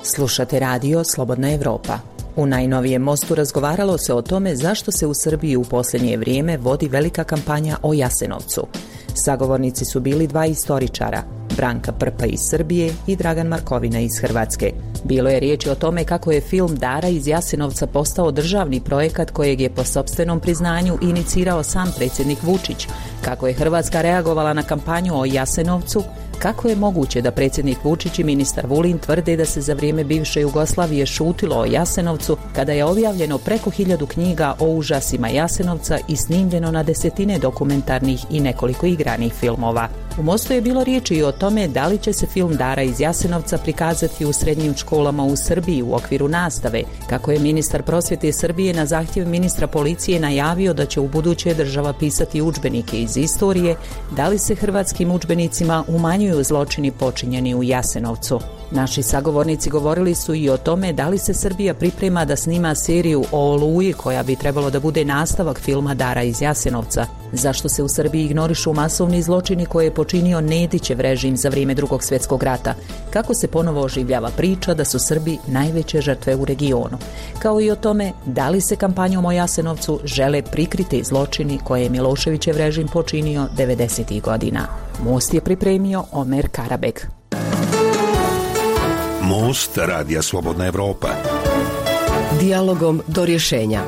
Slušate radio Slobodna Evropa. U najnovijem mostu razgovaralo se o tome zašto se u Srbiji u posljednje vrijeme vodi velika kampanja o Jasenovcu. Sagovornici su bili dva istoričara, Branka Prpa iz Srbije i Dragan Markovina iz Hrvatske. Bilo je riječi o tome kako je film Dara iz Jasenovca postao državni projekat kojeg je po sopstvenom priznanju inicirao sam predsjednik Vučić, kako je Hrvatska reagovala na kampanju o Jasenovcu, kako je moguće da predsjednik Vučić i ministar Vulin tvrde da se za vrijeme bivše Jugoslavije šutilo o Jasenovcu kada je objavljeno preko 1000 knjiga o užasima Jasenovca i snimljeno na desetine dokumentarnih i nekoliko igranih filmova. U mostu je bilo riječi i o tome da li će se film Dara iz Jasenovca prikazati u srednjim školama u Srbiji u okviru nastave, kako je ministar prosvjete Srbije na zahtjev ministra policije najavio da će u buduće država pisati udžbenike iz istorije, da li se hrvatskim udžbenicima umanjuju zločini počinjeni u Jasenovcu. Naši sagovornici govorili su i o tome da li se Srbija priprema da snima seriju o Oluji koja bi trebalo da bude nastavak filma Dara iz Jasenovca. Zašto se u Srbiji ignorišu masovni zločini koje je počinio Nedićev režim za vrijeme Drugog svjetskog rata? Kako se ponovo oživljava priča da su Srbi najveće žrtve u regionu? Kao i o tome da li se kampanjom o Jasenovcu žele prikriti zločini koje je Miloševićev režim počinio 90. godina. Most je pripremio Omer Karabeg. Most Radija Slobodna Evropa. Dijalogom do rješenja.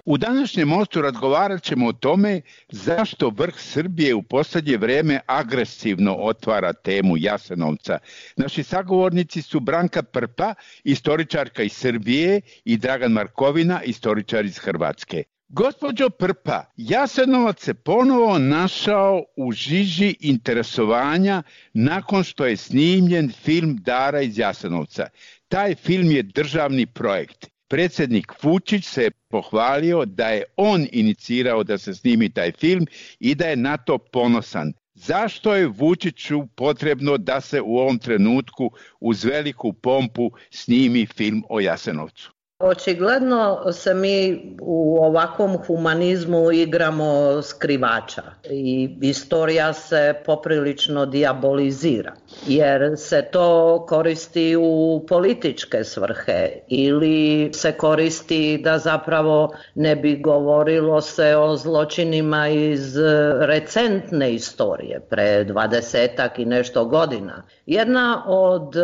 U današnjem mostu razgovarat ćemo o tome zašto vrh Srbije u posljednje vrijeme agresivno otvara temu Jasenovca. Naši sagovornici su Branka Prpa, istoričarka iz Srbije, i Dragan Markovina, istoričar iz Hrvatske. Gospođo Prpa, Jasenovac se ponovo našao u žiži interesovanja nakon što je snimljen film Dara iz Jasenovca. Taj film je državni projekt. Predsjednik Vučić se je pohvalio da je on inicirao da se snimi taj film i da je na to ponosan. Zašto je Vučiću potrebno da se u ovom trenutku uz veliku pompu snimi film o Jasenovcu? Očigledno se mi u ovakvom humanizmu igramo skrivača i istorija se poprilično dijabolizira jer se to koristi u političke svrhe ili se koristi da zapravo ne bi govorilo se o zločinima iz recentne istorije pre 20-ak i nešto godina. Jedna od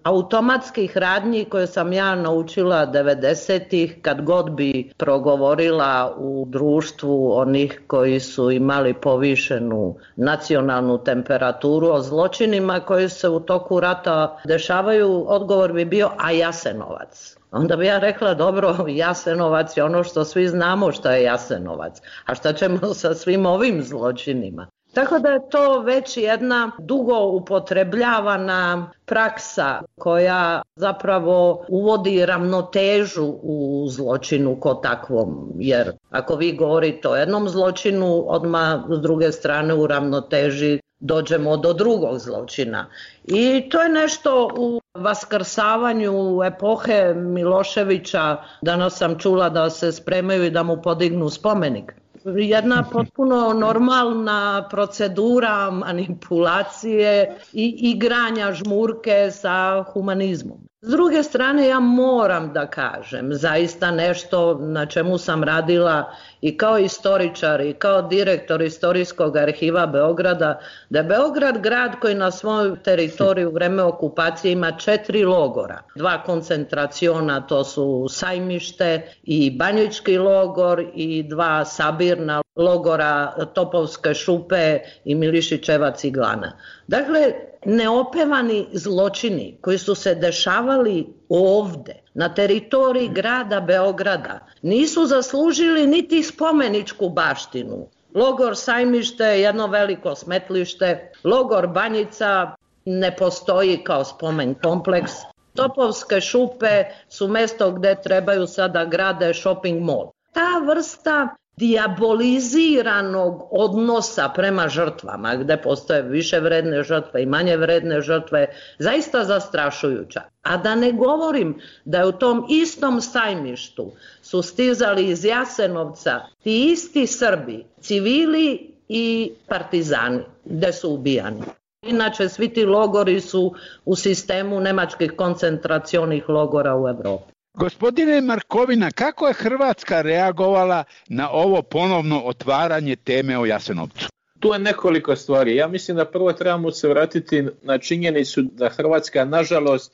automatskih radnji koje sam ja naučila 90-ih, kad god bi progovorila u društvu onih koji su imali povišenu nacionalnu temperaturu o zločinima koji se u toku rata dešavaju, odgovor bi bio a Jasenovac. Onda bi ja rekla, dobro, Jasenovac je ono što svi znamo što je Jasenovac, a šta ćemo sa svim ovim zločinima? Tako da je to već jedna dugo upotrebljavana praksa koja zapravo uvodi ravnotežu u zločinu ko takvom. Jer ako vi govorite o jednom zločinu, odmah s druge strane u ravnoteži dođemo do drugog zločina. I to je nešto u vaskrsavanju epohe Miloševića. Danas sam čula da se spremaju i da mu podignu spomenik. Jedna potpuno normalna procedura manipulacije i igranja žmurke sa humanizmom. S druge strane, ja moram da kažem zaista nešto na čemu sam radila i kao istoričar i kao direktor Istorijskog arhiva Beograda, da je Beograd grad koji na svojoj teritoriji u vreme okupacije ima 4 logora. 2 koncentraciona, to su Sajmište i Banjički logor, i 2 sabirna logora, Topovske šupe i Milišićeva ciglana. Dakle, neopevani zločini koji su se dešavali ovde, na teritoriji grada Beograda, nisu zaslužili niti spomeničku baštinu. Logor Sajmište je jedno veliko smetlište, logor Banjica ne postoji kao spomen kompleks, Topovske šupe su mesto gde trebaju sada grade shopping mall. Ta vrsta dijaboliziranog odnosa prema žrtvama, gde postoje više vredne žrtve i manje vredne žrtve, zaista zastrašujuća. A da ne govorim da je u tom istom Sajmištu su stizali iz Jasenovca ti isti Srbi, civili i partizani, gde su ubijani. Inače, svi ti logori su u sistemu nemačkih koncentracionih logora u Evropi. Gospodine Markovina, kako je Hrvatska reagovala na ovo ponovno otvaranje teme o Jasenovcu? Tu je nekoliko stvari. Ja mislim da prvo trebamo se vratiti na činjenicu da Hrvatska nažalost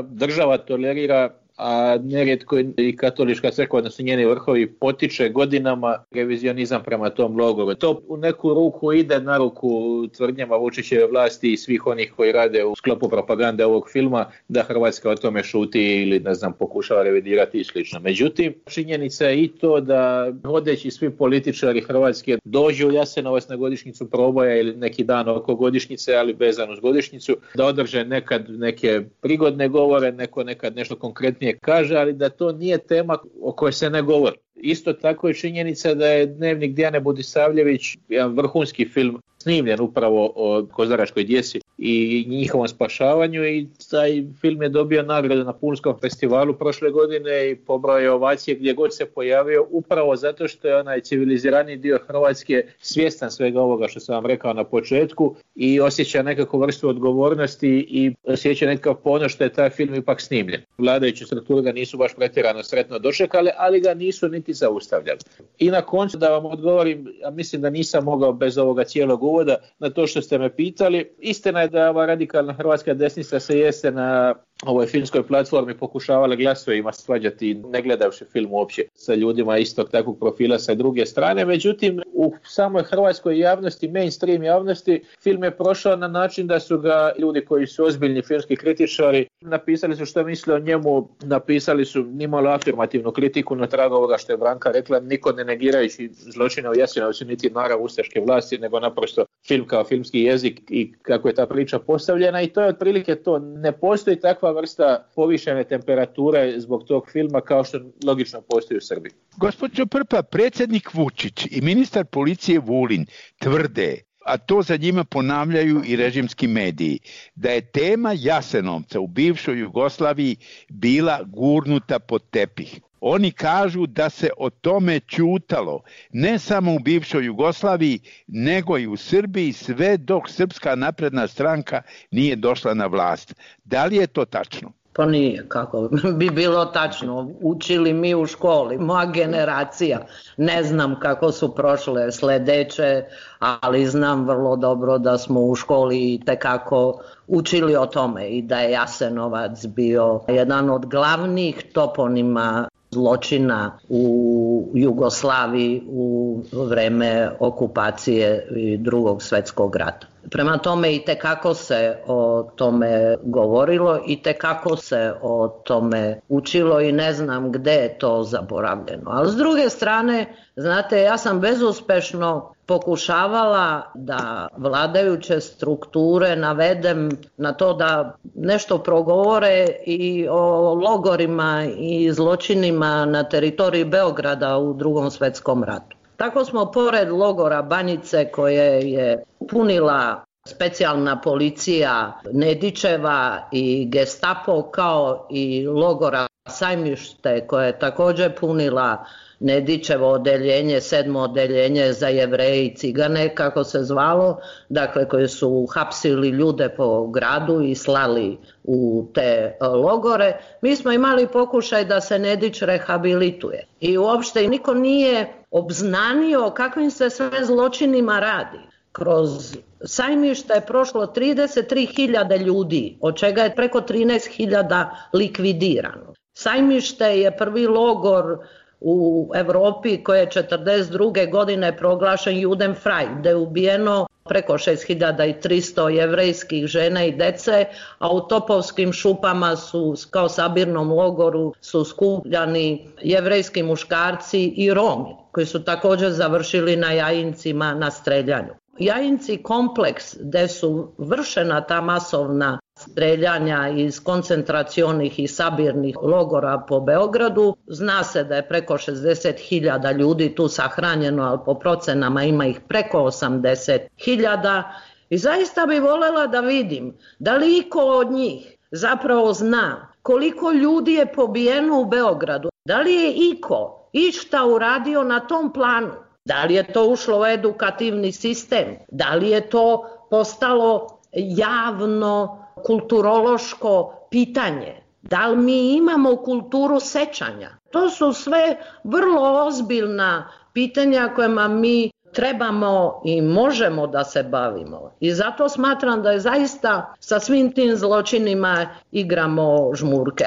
država tolerira, a nerijetko i katolička crkva, odnosno njeni vrhovi, potiče godinama revizionizam prema tom logoru. To u neku ruku ide na ruku tvrdnjama Vučićeve vlasti i svih onih koji rade u sklopu propagande ovog filma, da Hrvatska o tome šuti ili pokušava revidirati i slično. Međutim, činjenica je i to da vodeći svi političari Hrvatske dođu u Jasenovac na godišnjicu proboja ili neki dan oko godišnjice, ali vezan uz godišnjicu, da održe nekad neke prigodne govore, neko nekad nešto konkretnije kaže, ali da to nije tema o kojoj se ne govori. Isto tako je činjenica da je Dnevnik Dijane Budisavljević, jedan vrhunski film, snimljen upravo o kozaračkoj djeci i njihovom spašavanju, i taj film je dobio nagradu na Punskom festivalu prošle godine i pobrao je ovacije gdje god se pojavio, upravo zato što je onaj civilizirani dio Hrvatske svjestan svega ovoga što sam vam rekao na početku i osjeća nekakvu vrstu odgovornosti i osjeća nekakav ponos što je taj film ipak snimljen. Vladajuće strukture ga nisu baš pretjerano sretno dočekali, ali ga nisu niti zaustavljali. I na koncu da vam odgovorim, a mislim da nisam mogao bez ovoga cijelog uvoda na to što ste me pitali. Istina je da ova radikalna hrvatska desnica se jeste na ovoj filmskoj platformi pokušavala glasovima svađati, ne gledavši film uopće sa ljudima istog takvog profila sa druge strane. Međutim, u samoj hrvatskoj javnosti, mainstream javnosti, film je prošao na način da su ga ljudi koji su ozbiljni filmski kritičari napisali su što misle o njemu, napisali su nimalo afirmativnu kritiku na tragu ovoga što je Branka rekla, niko ne negirajući zločine u Jasenovcu niti narav ustaške vlasti, nego naprosto film kao filmski jezik i kako je ta priča postavljena, i to je otprilike to. Ne postoji takva vrsta povišene temperature zbog tog filma kao što logično postoji u Srbiji. Gospođo Prpa, predsjednik Vučić i ministar policije Vulin tvrde, a to za njima ponavljaju i režimski mediji, da je tema Jasenovca u bivšoj Jugoslaviji bila gurnuta pod tepih. Oni kažu da se o tome ćutalo ne samo u bivšoj Jugoslaviji, nego i u Srbiji sve dok Srpska napredna stranka nije došla na vlast. Da li je to tačno? Pa nije, kako bi bilo tačno. Učili mi u školi, moja generacija. Ne znam kako su prošle sledeće, ali znam vrlo dobro da smo u školi tekako učili o tome i da je Jasenovac bio jedan od glavnih toponima zločina u Jugoslaviji u vreme okupacije i Drugog svjetskog rata. Prema tome i tekako se o tome govorilo i tekako se o tome učilo i ne znam gde je to zaboravljeno. Ali s druge strane, znate, ja sam bezuspešno pokušavala da vladajuće strukture navedem na to da nešto progovore i o logorima i zločinima na teritoriji Beograda u Drugom svjetskom ratu. Tako smo pored logora Banjice koje je punila specijalna policija Nedićeva i Gestapo, kao i logora Sajmište koje je također punila Nedićevo odeljenje, 7. odeljenje za Jevreje i Cigane, kako se zvalo, dakle koji su hapsili ljude po gradu i slali u te logore. Mi smo imali pokušaj da se Nedić rehabilituje i uopšte niko nije obznanio kakvim se sve zločinima radi. Kroz Sajmište je prošlo 33.000 ljudi, od čega je preko 13.000 likvidirano. Sajmište je prvi logor u Europi koji je 1942. godine proglašen Judenfrei, gdje je ubijeno preko 6.300 jevrejskih žena i dece, a u Topovskim šupama su, kao sabirnom logoru, su skupljani jevrejski muškarci i Romi, koji su također završili na Jajincima na streljanju. Jajinci kompleks gdje su vršena ta masovna streljanja iz koncentracionih i sabirnih logora po Beogradu. Zna se da je preko 60.000 ljudi tu sahranjeno, ali po procenama ima ih preko 80.000. I zaista bi voljela da vidim da li iko od njih zapravo zna koliko ljudi je pobijeno u Beogradu. Da li je iko išta uradio na tom planu? Da li je to ušlo u edukativni sistem? Da li je to postalo javno kulturološko pitanje? Da li mi imamo kulturu sećanja? To su sve vrlo ozbiljna pitanja kojima mi trebamo i možemo da se bavimo. I zato smatram da je zaista sa svim tim zločinima igramo žmurke.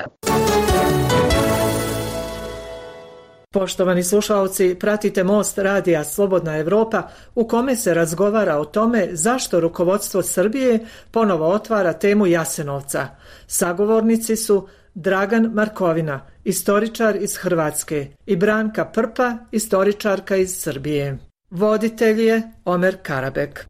Poštovani slušalci, pratite Most radija Slobodna Evropa u kome se razgovara o tome zašto rukovodstvo Srbije ponovo otvara temu Jasenovca. Sagovornici su Dragan Markovina, istoričar iz Hrvatske, i Branka Prpa, istoričarka iz Srbije. Voditelj je Omer Karabek.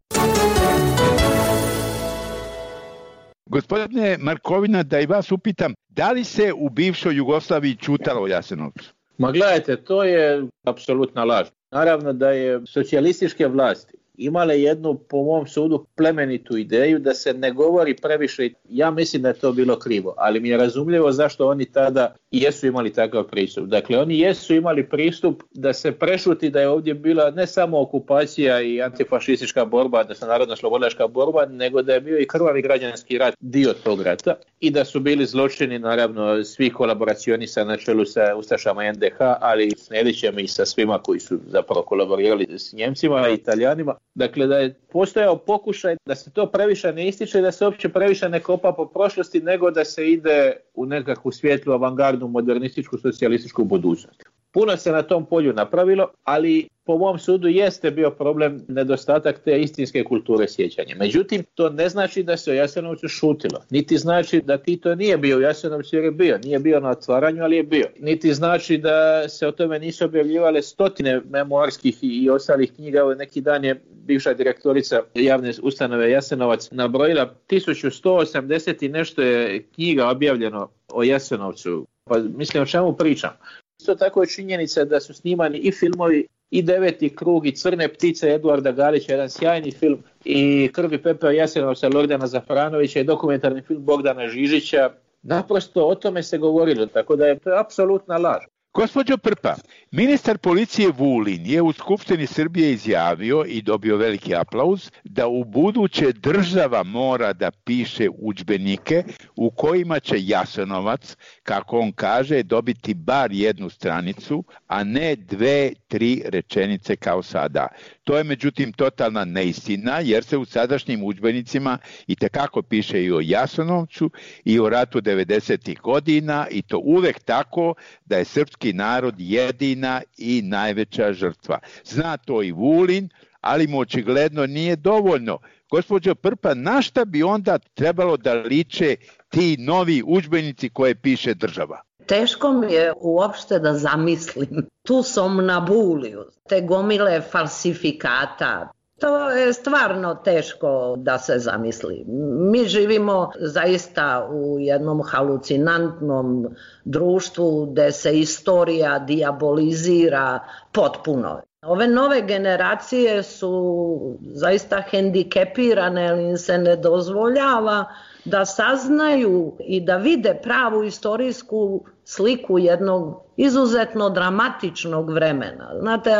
Gospodine Markovina, da i vas upitam, da li se u bivšoj Jugoslaviji ćutalo o Jasenovcu? Ma gledajte, to je apsolutna laž. Naravno da je socijalističke vlasti imale jednu, po mom sudu, plemenitu ideju da se ne govori previše. Ja mislim da je to bilo krivo, ali mi je razumljivo zašto oni tada jesu imali takav pristup. Dakle, oni jesu imali pristup da se prešuti da je ovdje bila ne samo okupacija i antifašistička borba, da se narodno-slobodilačka borba, nego da je bio i krvavi građanski rat dio tog rata i da su bili zločini, naravno, svih kolaboracionista na čelu sa ustašama NDH, ali s Nedićem i sa svima koji su zapravo kolaborirali s Njemcima i Italijanima. Dakle, da je postojao pokušaj da se to previše ne ističe, da se uopće previše ne kopa po prošlosti, nego da se ide u nekakvu svijetlu, avangardnu, modernističku, socijalističku budućnost. Puno se na tom polju napravilo, ali po mom sudu jeste bio problem nedostatak te istinske kulture sjećanja. Međutim, to ne znači da se o Jasenovcu šutilo. Niti znači da Tito nije bio u Jasenovcu jer je bio. Nije bio na otvaranju, ali je bio. Niti znači da se o tome nisu objavljivale stotine memoarskih i ostalih knjiga. Ovo neki dan je bivša direktorica javne ustanove Jasenovac nabrojila 1180 i nešto je knjiga objavljeno o Jasenovcu. Pa mislim, o čemu pričam? Isto tako je činjenica da su snimani i filmovi i Deveti krug i Crne ptice Eduarda Galića, jedan sjajni film, i Krv i pepeo Jasenovca Lordana Zafranovića i dokumentarni film Bogdana Žižića. Naprosto o tome se govorilo, tako da je to apsolutna laž. Gospođo Prpa, ministar policije Vulin je u Skupštini Srbije izjavio i dobio veliki aplauz da u buduće država mora da piše udžbenike u kojima će Jasenovac, kako on kaže, dobiti bar jednu stranicu, a ne 2-3 rečenice kao sada. To je međutim totalna neistina, jer se u sadašnjim udžbenicima itekako piše i o Jasenovcu i o ratu 90. godina, i to uvek tako da je srpski narod jedina i najveća žrtva. Zna to i Vulin, ali mu očigledno nije dovoljno. Gospođo Prpa, na šta bi onda trebalo da liče ti novi udžbenici koje piše država? Teško mi je uopšte da zamislim tu somnambuliju, te gomile falsifikata. To je stvarno teško da se zamisli. Mi živimo zaista u jednom halucinantnom društvu gde se istorija dijabolizira potpuno. Ove nove generacije su zaista hendikepirane, jer im se ne dozvoljava da saznaju i da vide pravu istorijsku sliku jednog izuzetno dramatičnog vremena. Znate,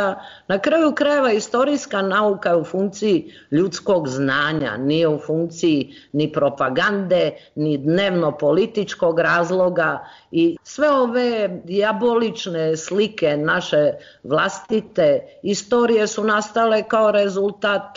na kraju krajeva istorijska nauka je u funkciji ljudskog znanja, nije u funkciji ni propagande, ni dnevno političkog razloga i sve ove dijabolične slike naše vlastite istorije su nastale kao rezultat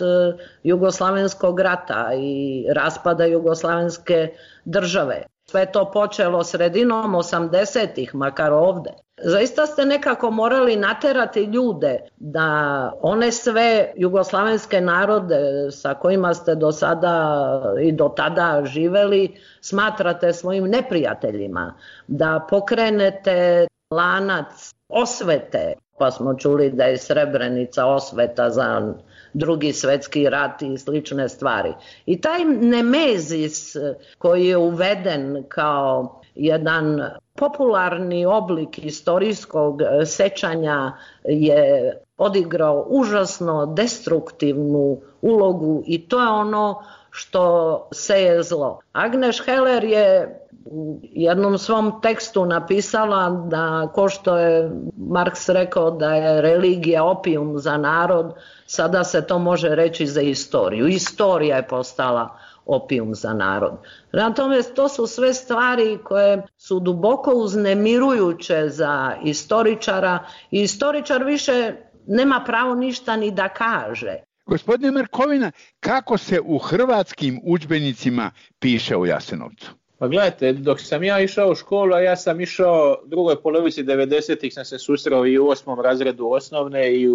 Jugoslavenskog rata i raspada Jugoslavenske države. Sve to počelo sredinom 80-ih, makar ovde. Zaista ste nekako morali naterati ljude da one sve jugoslavenske narode sa kojima ste do sada i do tada živeli smatrate svojim neprijateljima, da pokrenete lanac osvete, pa smo čuli da je Srebrenica osveta za Drugi svjetski rat i slične stvari. I taj nemezis koji je uveden kao jedan popularni oblik istorijskog sećanja je odigrao užasno destruktivnu ulogu i to je ono što seje zlo. Agnes Heller je u jednom svom tekstu napisala da, ko što je Marks rekao da je religija opijum za narod, sada se to može reći za istoriju. Istorija je postala opijum za narod. Prema tome, to su sve stvari koje su duboko uznemirujuće za istoričara i istoričar više nema pravo ništa ni da kaže. Gospodine Markovina, kako se u hrvatskim udžbenicima piše o Jasenovcu? Pa gledajte, dok sam ja išao u školu, a ja sam išao u drugoj polovici 90-ih, sam se susreo i u 8. razredu osnovne i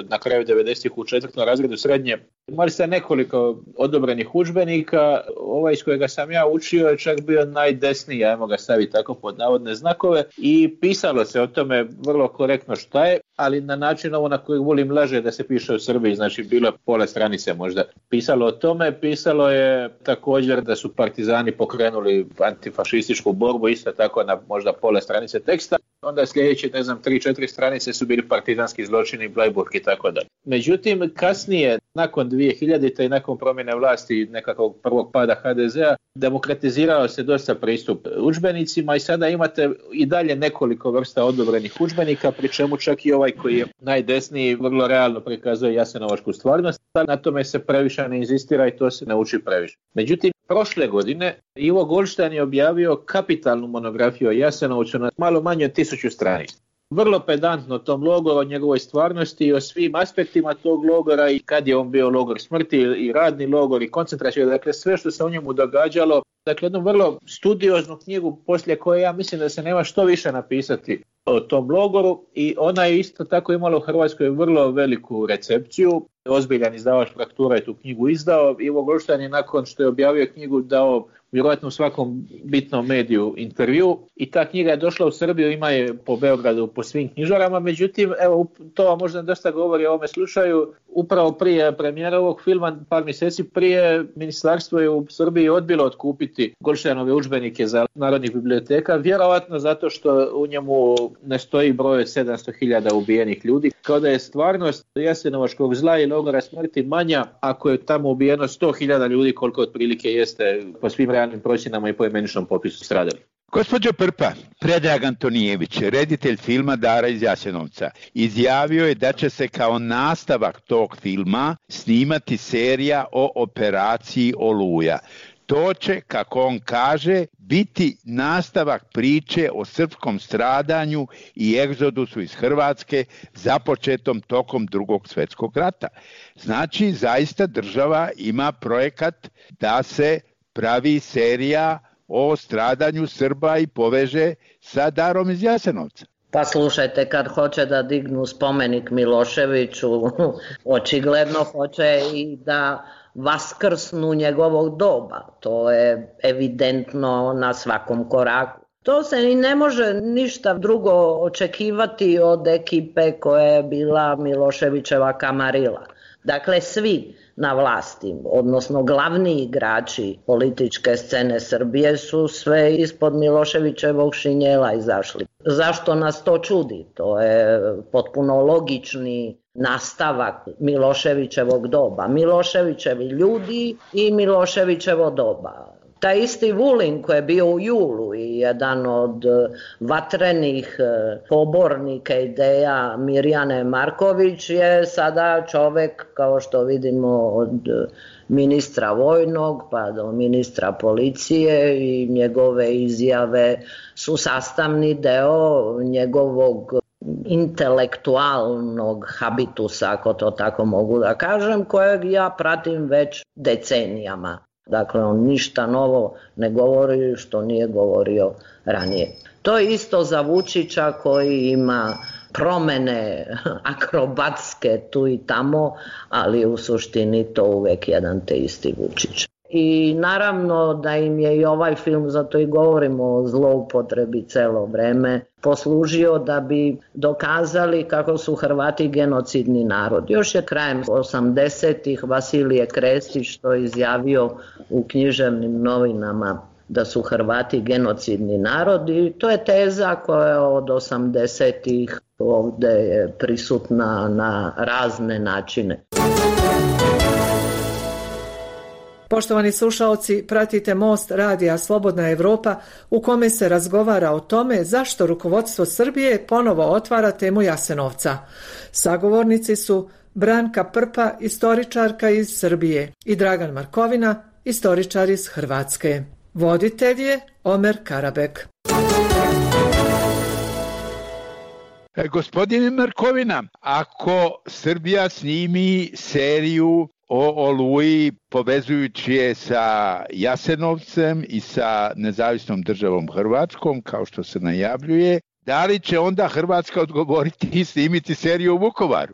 na kraju 90-ih u 4. razredu srednje. Imali ste nekoliko odobrenih udžbenika, ovaj iz kojega sam ja učio je čak bio najdesniji, ajmo ga staviti tako pod navodne znakove, i pisalo se o tome vrlo korektno šta je, ali na način ovo na koji volim laže da se piše u Srbiji, znači bilo je pola stranice možda. Pisalo o tome, pisalo je također da su partizani pokrenuli antifašističku borbu, isto tako na možda pola stranice teksta. Onda sljedeće, 3-4 stranice su bili partizanski zločini, Bleiburg i tako dalje. Međutim, kasnije, nakon 2000. i nakon promjene vlasti nekakvog prvog pada HDZ-a, demokratizirao se dosta pristup udžbenicima i sada imate i dalje nekoliko vrsta odobrenih udžbenika, pri čemu čak i ovaj koji je najdesniji vrlo realno prikazuje jasenovačku stvarnost. Na tome se previše ne inzistira i to se ne uči previše. Međutim, prošle godine Ivo Goldstein je objavio kapitalnu monografiju o Jasenovcu na malo manje od 1000 stranica. Vrlo pedantno o tom logoru, o njegovoj stvarnosti i o svim aspektima tog logora i kad je on bio logor smrti i radni logor i koncentracija, dakle sve što se u njemu događalo. Dakle, jednu vrlo studioznu knjigu poslije koje ja mislim da se nema što više napisati o tom logoru i ona je isto tako imala u Hrvatskoj vrlo veliku recepciju. Ozbiljan izdavač Fraktura je tu knjigu izdao. Ivo Goldstein je nakon što je objavio knjigu dao vjerojatno u svakom bitnom mediju intervju i ta knjiga je došla u Srbiju, ima je po Beogradu po svim knjižarama, međutim evo to vam možda dosta govori o ovome slučaju. Upravo prije premijera ovog filma, par mjeseci prije, ministarstvo je u Srbiji odbilo otkupiti Goldsteinove udžbenike za narodnih biblioteka, vjerojatno zato što u njemu ne stoji broj 700.000 ubijenih ljudi, kao da je stvarnost jasenovačkog zla i logora smrti manja ako je tamo ubijeno 100.000 ljudi koliko otprilike jeste po svim realnim procjenama i po imeničnom popisu stradali. Gospođo Prpa, Predrag Antonijević, reditelj filma Dara iz Jasenovca, izjavio je da će se kao nastavak tog filma snimati serija o operaciji Oluja. To će, kako on kaže, biti nastavak priče o srpskom stradanju i egzodusu iz Hrvatske započetom tokom Drugog svjetskog rata. Znači, zaista država ima projekat da se pravi serija o stradanju Srba i poveže sa Darom iz Jasenovca. Pa slušajte, kad hoće da dignu spomenik Miloševiću, očigledno hoće i da vaskrsnu njegovog doba. To je evidentno na svakom koraku. To se i ne može ništa drugo očekivati od ekipe koja je bila Miloševićeva kamarila. Dakle, svi na vlasti, odnosno glavni igrači političke scene Srbije su sve ispod Miloševićevog šinjela izašli. Zašto nas to čudi? To je potpuno logični nastavak Miloševićevog doba. Miloševićevi ljudi i Miloševićevo doba. Taj isti Vulin koji je bio u Julu i jedan od vatrenih pobornika ideja Mirjane Marković je sada čovjek, kao što vidimo, od ministra vojnog pa do ministra policije i njegove izjave su sastavni deo njegovog intelektualnog habitusa, ako to tako mogu da kažem, kojeg ja pratim već decenijama. Dakle, on ništa novo ne govori što nije govorio ranije. To je isto za Vučića koji ima promene akrobatske tu i tamo, ali u suštini to uvijek jedan te isti Vučić. I naravno da im je i ovaj film, zato i govorimo o zloupotrebi celo vreme, poslužio da bi dokazali kako su Hrvati genocidni narod. Još je krajem 80-ih Vasilije Krestić to izjavio u književnim novinama da su Hrvati genocidni narod i to je teza koja od 80-ih ovdje je prisutna na razne načine. Poštovani slušaoci, pratite Most radija Slobodna Evropa u kome se razgovara o tome zašto rukovodstvo Srbije ponovo otvara temu Jasenovca. Sagovornici su Branka Prpa, istoričarka iz Srbije, i Dragan Markovina, istoričar iz Hrvatske. Voditelj je Omer Karabek. Gospodine Markovina, ako Srbija snimi seriju o Oluji povezujući je sa Jasenovcem i sa nezavisnom državom Hrvatskom, kao što se najavljuje, da li će onda Hrvatska odgovoriti i snimiti seriju u Vukovaru?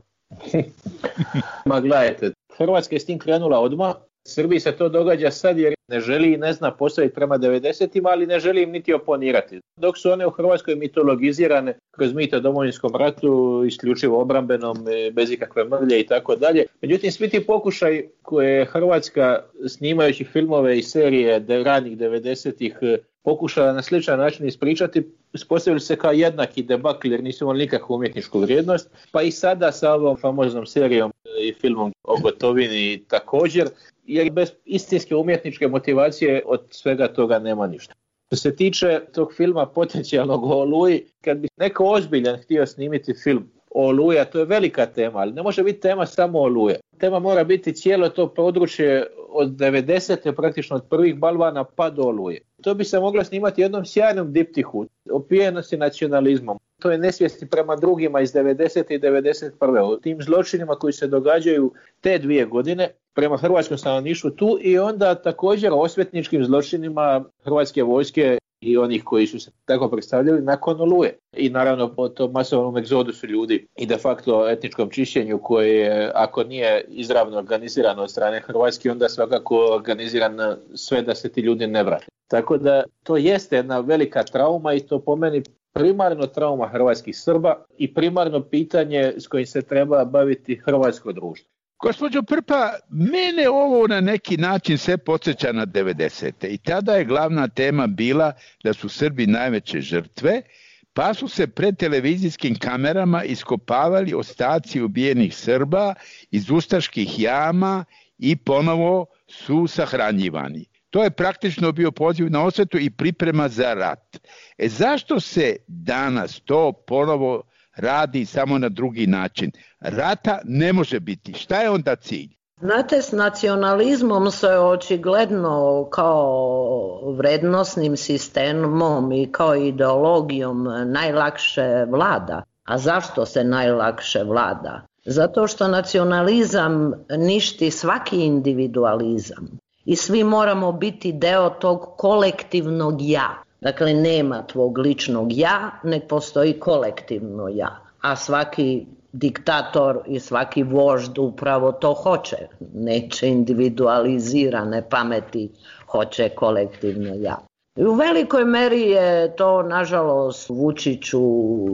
Ma gledajte, Hrvatska je s tim krenula odmah. Srbiji se to događa sad jer ne želi i ne zna postaviti prema 90-ima, ali ne želi im niti oponirati. Dok su one u Hrvatskoj mitologizirane kroz mito o Domovinskom ratu, isključivo obrambenom, bez ikakve mrlje i tako dalje. Međutim, svi ti pokušaj koje je Hrvatska snimajući filmove i serije ranih 90-ih pokušala na sličan način ispričati, ispostavili se kao jednaki debakl jer nisu imali nikakvu umjetničku vrijednost, pa i sada sa ovom famoznom serijom i filmom o Gotovini također, jer bez istinske umjetničke motivacije od svega toga nema ništa. Što se tiče tog filma potencijalnog o Oluji, kad bi neko ozbiljan htio snimiti film o Oluji, a to je velika tema, ali ne može biti tema samo Oluje. Tema mora biti cijelo to područje od 90. praktično od prvih balvana pa do Oluje. To bi se moglo snimati jednom sjajnom diptihu, opijenosti nacionalizmom. To je nesvijesti prema drugima iz 90. i 91. O tim zločinima koji se događaju te 2 godine prema hrvatskom stanovništvu tu i onda također o osvetničkim zločinima hrvatske vojske i onih koji su se tako predstavljali nakon Oluje. I naravno po tom masovnom egzodusu ljudi i de facto etničkom čišćenju koje je, ako nije izravno organizirano od strane Hrvatske, onda svakako organizirano sve da se ti ljudi ne vrate. Tako da to jeste jedna velika trauma i to po meni primarno trauma hrvatskih Srba i primarno pitanje s kojim se treba baviti hrvatsko društvo. Gospođo Prpa, mene ovo na neki način sve podsjeća na 90. I tada je glavna tema bila da su Srbi najveće žrtve, pa su se pred televizijskim kamerama iskopavali ostaci ubijenih Srba iz ustaških jama i ponovo su sahranjivani. To je praktično bio poziv na osvetu i priprema za rat. Zašto se danas to ponovo radi samo na drugi način? Rata ne može biti. Šta je onda cilj? Znate, s nacionalizmom se očigledno kao vrednosnim sistemom i kao ideologijom najlakše vlada. A zašto se najlakše vlada? Zato što nacionalizam ništi svaki individualizam. I svi moramo biti deo tog kolektivnog ja. Dakle, nema tvog ličnog ja, nek postoji kolektivno ja. A svaki diktator i svaki vožd upravo to hoće. Neće individualizirane pameti, hoće kolektivno ja. I u velikoj meri je to, nažalost, Vučiću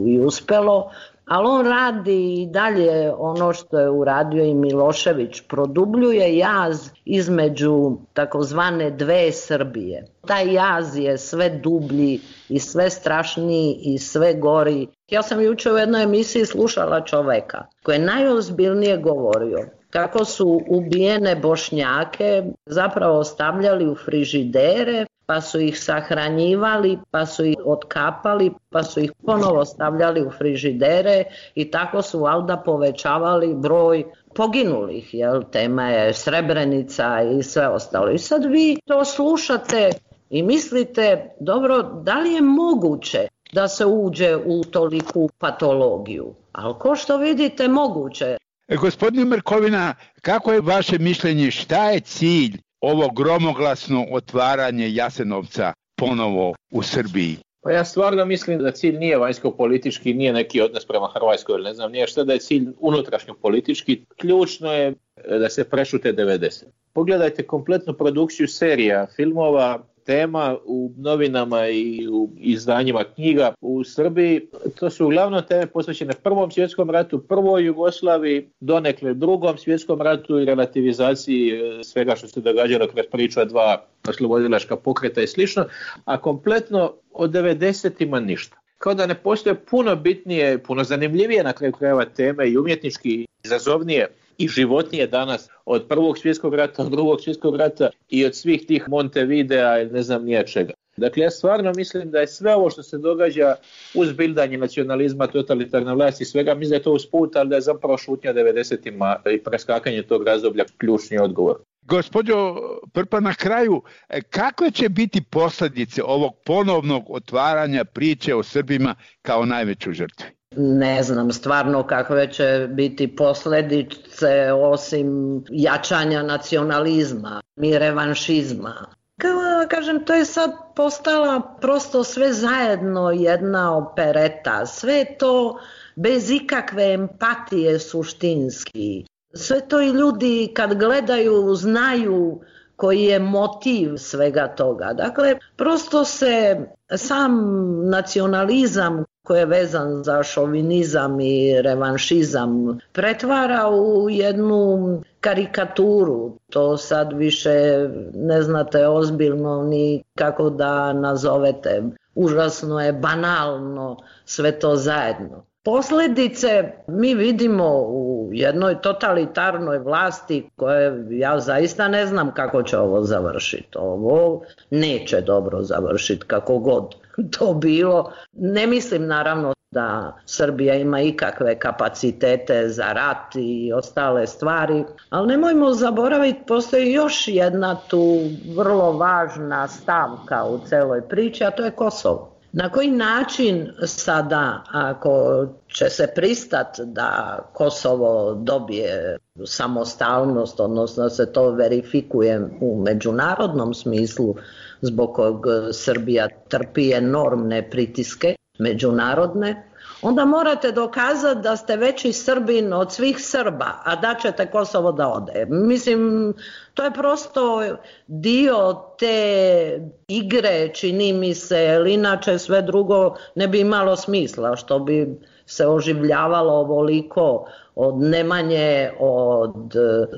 i uspelo, ali on radi i dalje ono što je uradio i Milošević, produbljuje jaz između takozvane dve Srbije. Taj jaz je sve dublji i sve strašniji i sve gori. Ja sam jučer u jednoj emisiji slušala čoveka koji je najozbiljnije govorio. kako su ubijene Bošnjake zapravo stavljali u frižidere, pa su ih sahranjivali, pa su ih otkapali, pa su ih ponovo stavljali u frižidere i tako su valjda povećavali broj poginulih, jel? Tema je Srebrenica i sve ostalo. I sad vi to slušate i mislite, dobro, da li je moguće da se uđe u toliku patologiju? Ali ko što vidite, moguće. Gospodine Markovina, kako je vaše mišljenje, šta je cilj ovo gromoglasno otvaranje Jasenovca ponovo u Srbiji? Pa ja stvarno mislim da cilj nije vanjsko-politički, nije neki odnos prema Hrvatskoj, ili ne znam, nije šta da je cilj unutrašnjo-politički. Ključno je da se prešute 90. Pogledajte kompletnu produkciju serija, filmova, tema u novinama i u izdanjima knjiga u Srbiji. To su uglavnom teme posvećene Prvom svjetskom ratu, Prvoj Jugoslaviji, donekle Drugom svjetskom ratu i relativizaciji svega što se događalo kroz priča dva oslobodilačka pokreta i slično, a kompletno od 90-ima ništa. Kao da ne postoje puno bitnije, puno zanimljivije na kraju krajeva teme i umjetnički izazovnije i životnije danas od Prvog svjetskog rata, od Drugog svjetskog rata i od svih tih Montevidea ili ne znam nije čega. Dakle, ja stvarno mislim da je sve ovo što se događa uz bildanje nacionalizma, totalitarne vlasti i svega, mislim da je to usput, ali da je zapravo šutnja 90-ima i preskakanje tog razdoblja ključni odgovor. Gospođo Prpa, na kraju, kakve će biti posljedice ovog ponovnog otvaranja priče o Srbima kao najvećoj žrtvi? Ne znam stvarno kakve će biti posljedice osim jačanja nacionalizma i revanšizma. Kao kažem, to je sad postala prosto sve zajedno jedna opereta, sve to bez ikakve empatije suštinski. Sve to i ljudi kad gledaju znaju koji je motiv svega toga. Dakle, prosto se sam nacionalizam koji je vezan za šovinizam i revanšizam pretvara u jednu karikaturu. To sad više ne znate ozbiljno ni kako da nazovete. Užasno je banalno sve to zajedno. Posljedice mi vidimo u jednoj totalitarnoj vlasti koje ja zaista ne znam kako će ovo završiti. Ovo neće dobro završiti kako god to bilo. Ne mislim naravno da Srbija ima ikakve kapacitete za rat i ostale stvari, ali nemojmo zaboraviti, postoji još jedna tu vrlo važna stavka u celoj priči, a to je Kosovo. Na koji način sada, ako će se pristati da Kosovo dobije samostalnost, odnosno da se to verifikuje u međunarodnom smislu, zbog kog Srbija trpi enormne pritiske međunarodne, onda morate dokazati da ste veći Srbin od svih Srba, a da ćete Kosovo da ode. Mislim, to je prosto dio te igre, čini mi se, jer inače sve drugo ne bi imalo smisla, što bi se oživljavalo ovoliko od Nemanje, od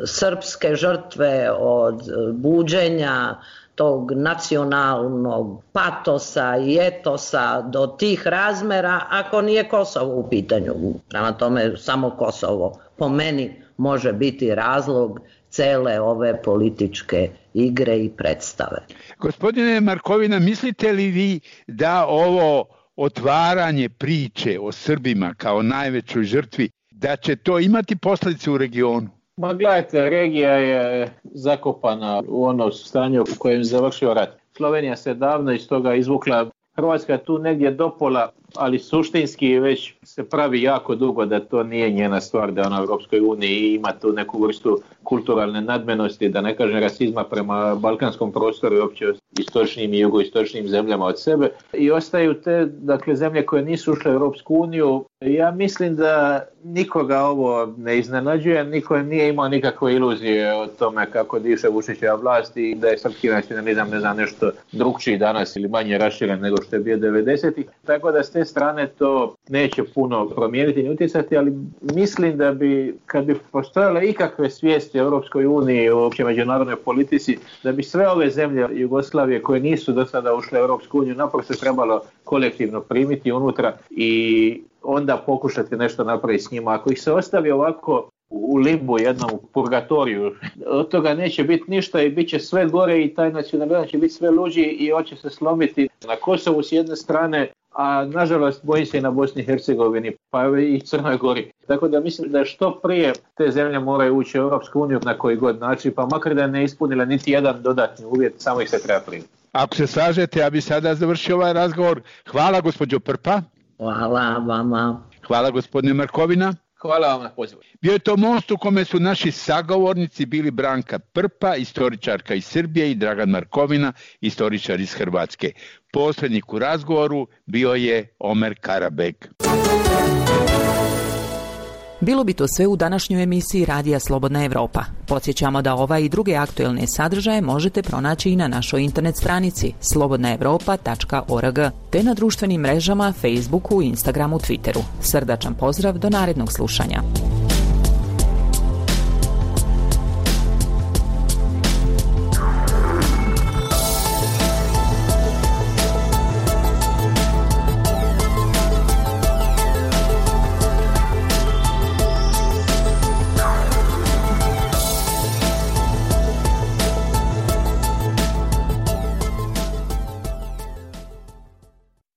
srpske žrtve, od buđenja tog nacionalnog patosa i etosa do tih razmera, ako nije Kosovo u pitanju. Prema tome, samo Kosovo po meni može biti razlog cele ove političke igre i predstave. Gospodine Markovina, mislite li vi da ovo otvaranje priče o Srbima kao najvećoj žrtvi, da će to imati posljedice u regionu? Ma gledajte, regija je zakopana u ono stanje u kojem je završio rat. Slovenija se davno iz toga izvukla, Hrvatska je tu negdje dopola, ali suštinski već se pravi jako dugo da to nije njena stvar, da je ona u Europskoj uniji ima tu neku vrstu kulturalne nadmenosti, da ne kažem rasizma prema balkanskom prostoru i uopće istočnim i jugoistočnim zemljama od sebe. I ostaju te, dakle, zemlje koje nisu ušle u Europsku uniju. Ja mislim da nikoga ovo ne iznenađuje, niko nije imao nikakve iluzije o tome kako diše Vučićeva vlast i da je srpski nacionalizam, ne znam, nešto drugčiji danas ili manje raširen nego što je bio 90-ih. Tako da s te strane to neće puno promijeniti ni utjecati, ali mislim da bi, kad bi postojale ikakve svijesti o Europskoj uniji, o opće međunarodnoj politici, da bi sve ove zemlje Jugoslavije koje nisu do sada ušle u Europsku uniju naprosto trebalo kolektivno primiti unutra i onda pokušati nešto napraviti s njima. Ako ih se ostavi ovako u limbu, jednom u purgatoriju. Od toga neće biti ništa i bit će sve gore i taj nacionalizam će biti sve luđi i hoće se slomiti na Kosovu s jedne strane, a nažalost bojim se i na Bosni i Hercegovini, pa i Crnoj Gori. Tako da mislim da što prije te zemlje moraju ući u Europsku uniju na koji god način, pa makar da ne ispunile niti jedan dodatni uvjet, samo ih se treba primiti. Ako se slažete, ja bi sada završio ovaj razgovor. Hvala gospođo Prpa. Hvala vama. Hvala gospodine Markovina. Hvala vam na pozivu. Bio je to most u kome su naši sagovornici bili Branka Prpa, istoričarka iz Srbije, i Dragan Markovina, istoričar iz Hrvatske. Posrednik u razgovoru bio je Omer Karabek. Bilo bi to sve u današnjoj emisiji Radija Slobodna Evropa. Podsjećamo da ova i druge aktuelne sadržaje možete pronaći i na našoj internet stranici slobodnaevropa.org te na društvenim mrežama Facebooku, Instagramu, Twitteru. Srdačan pozdrav do narednog slušanja.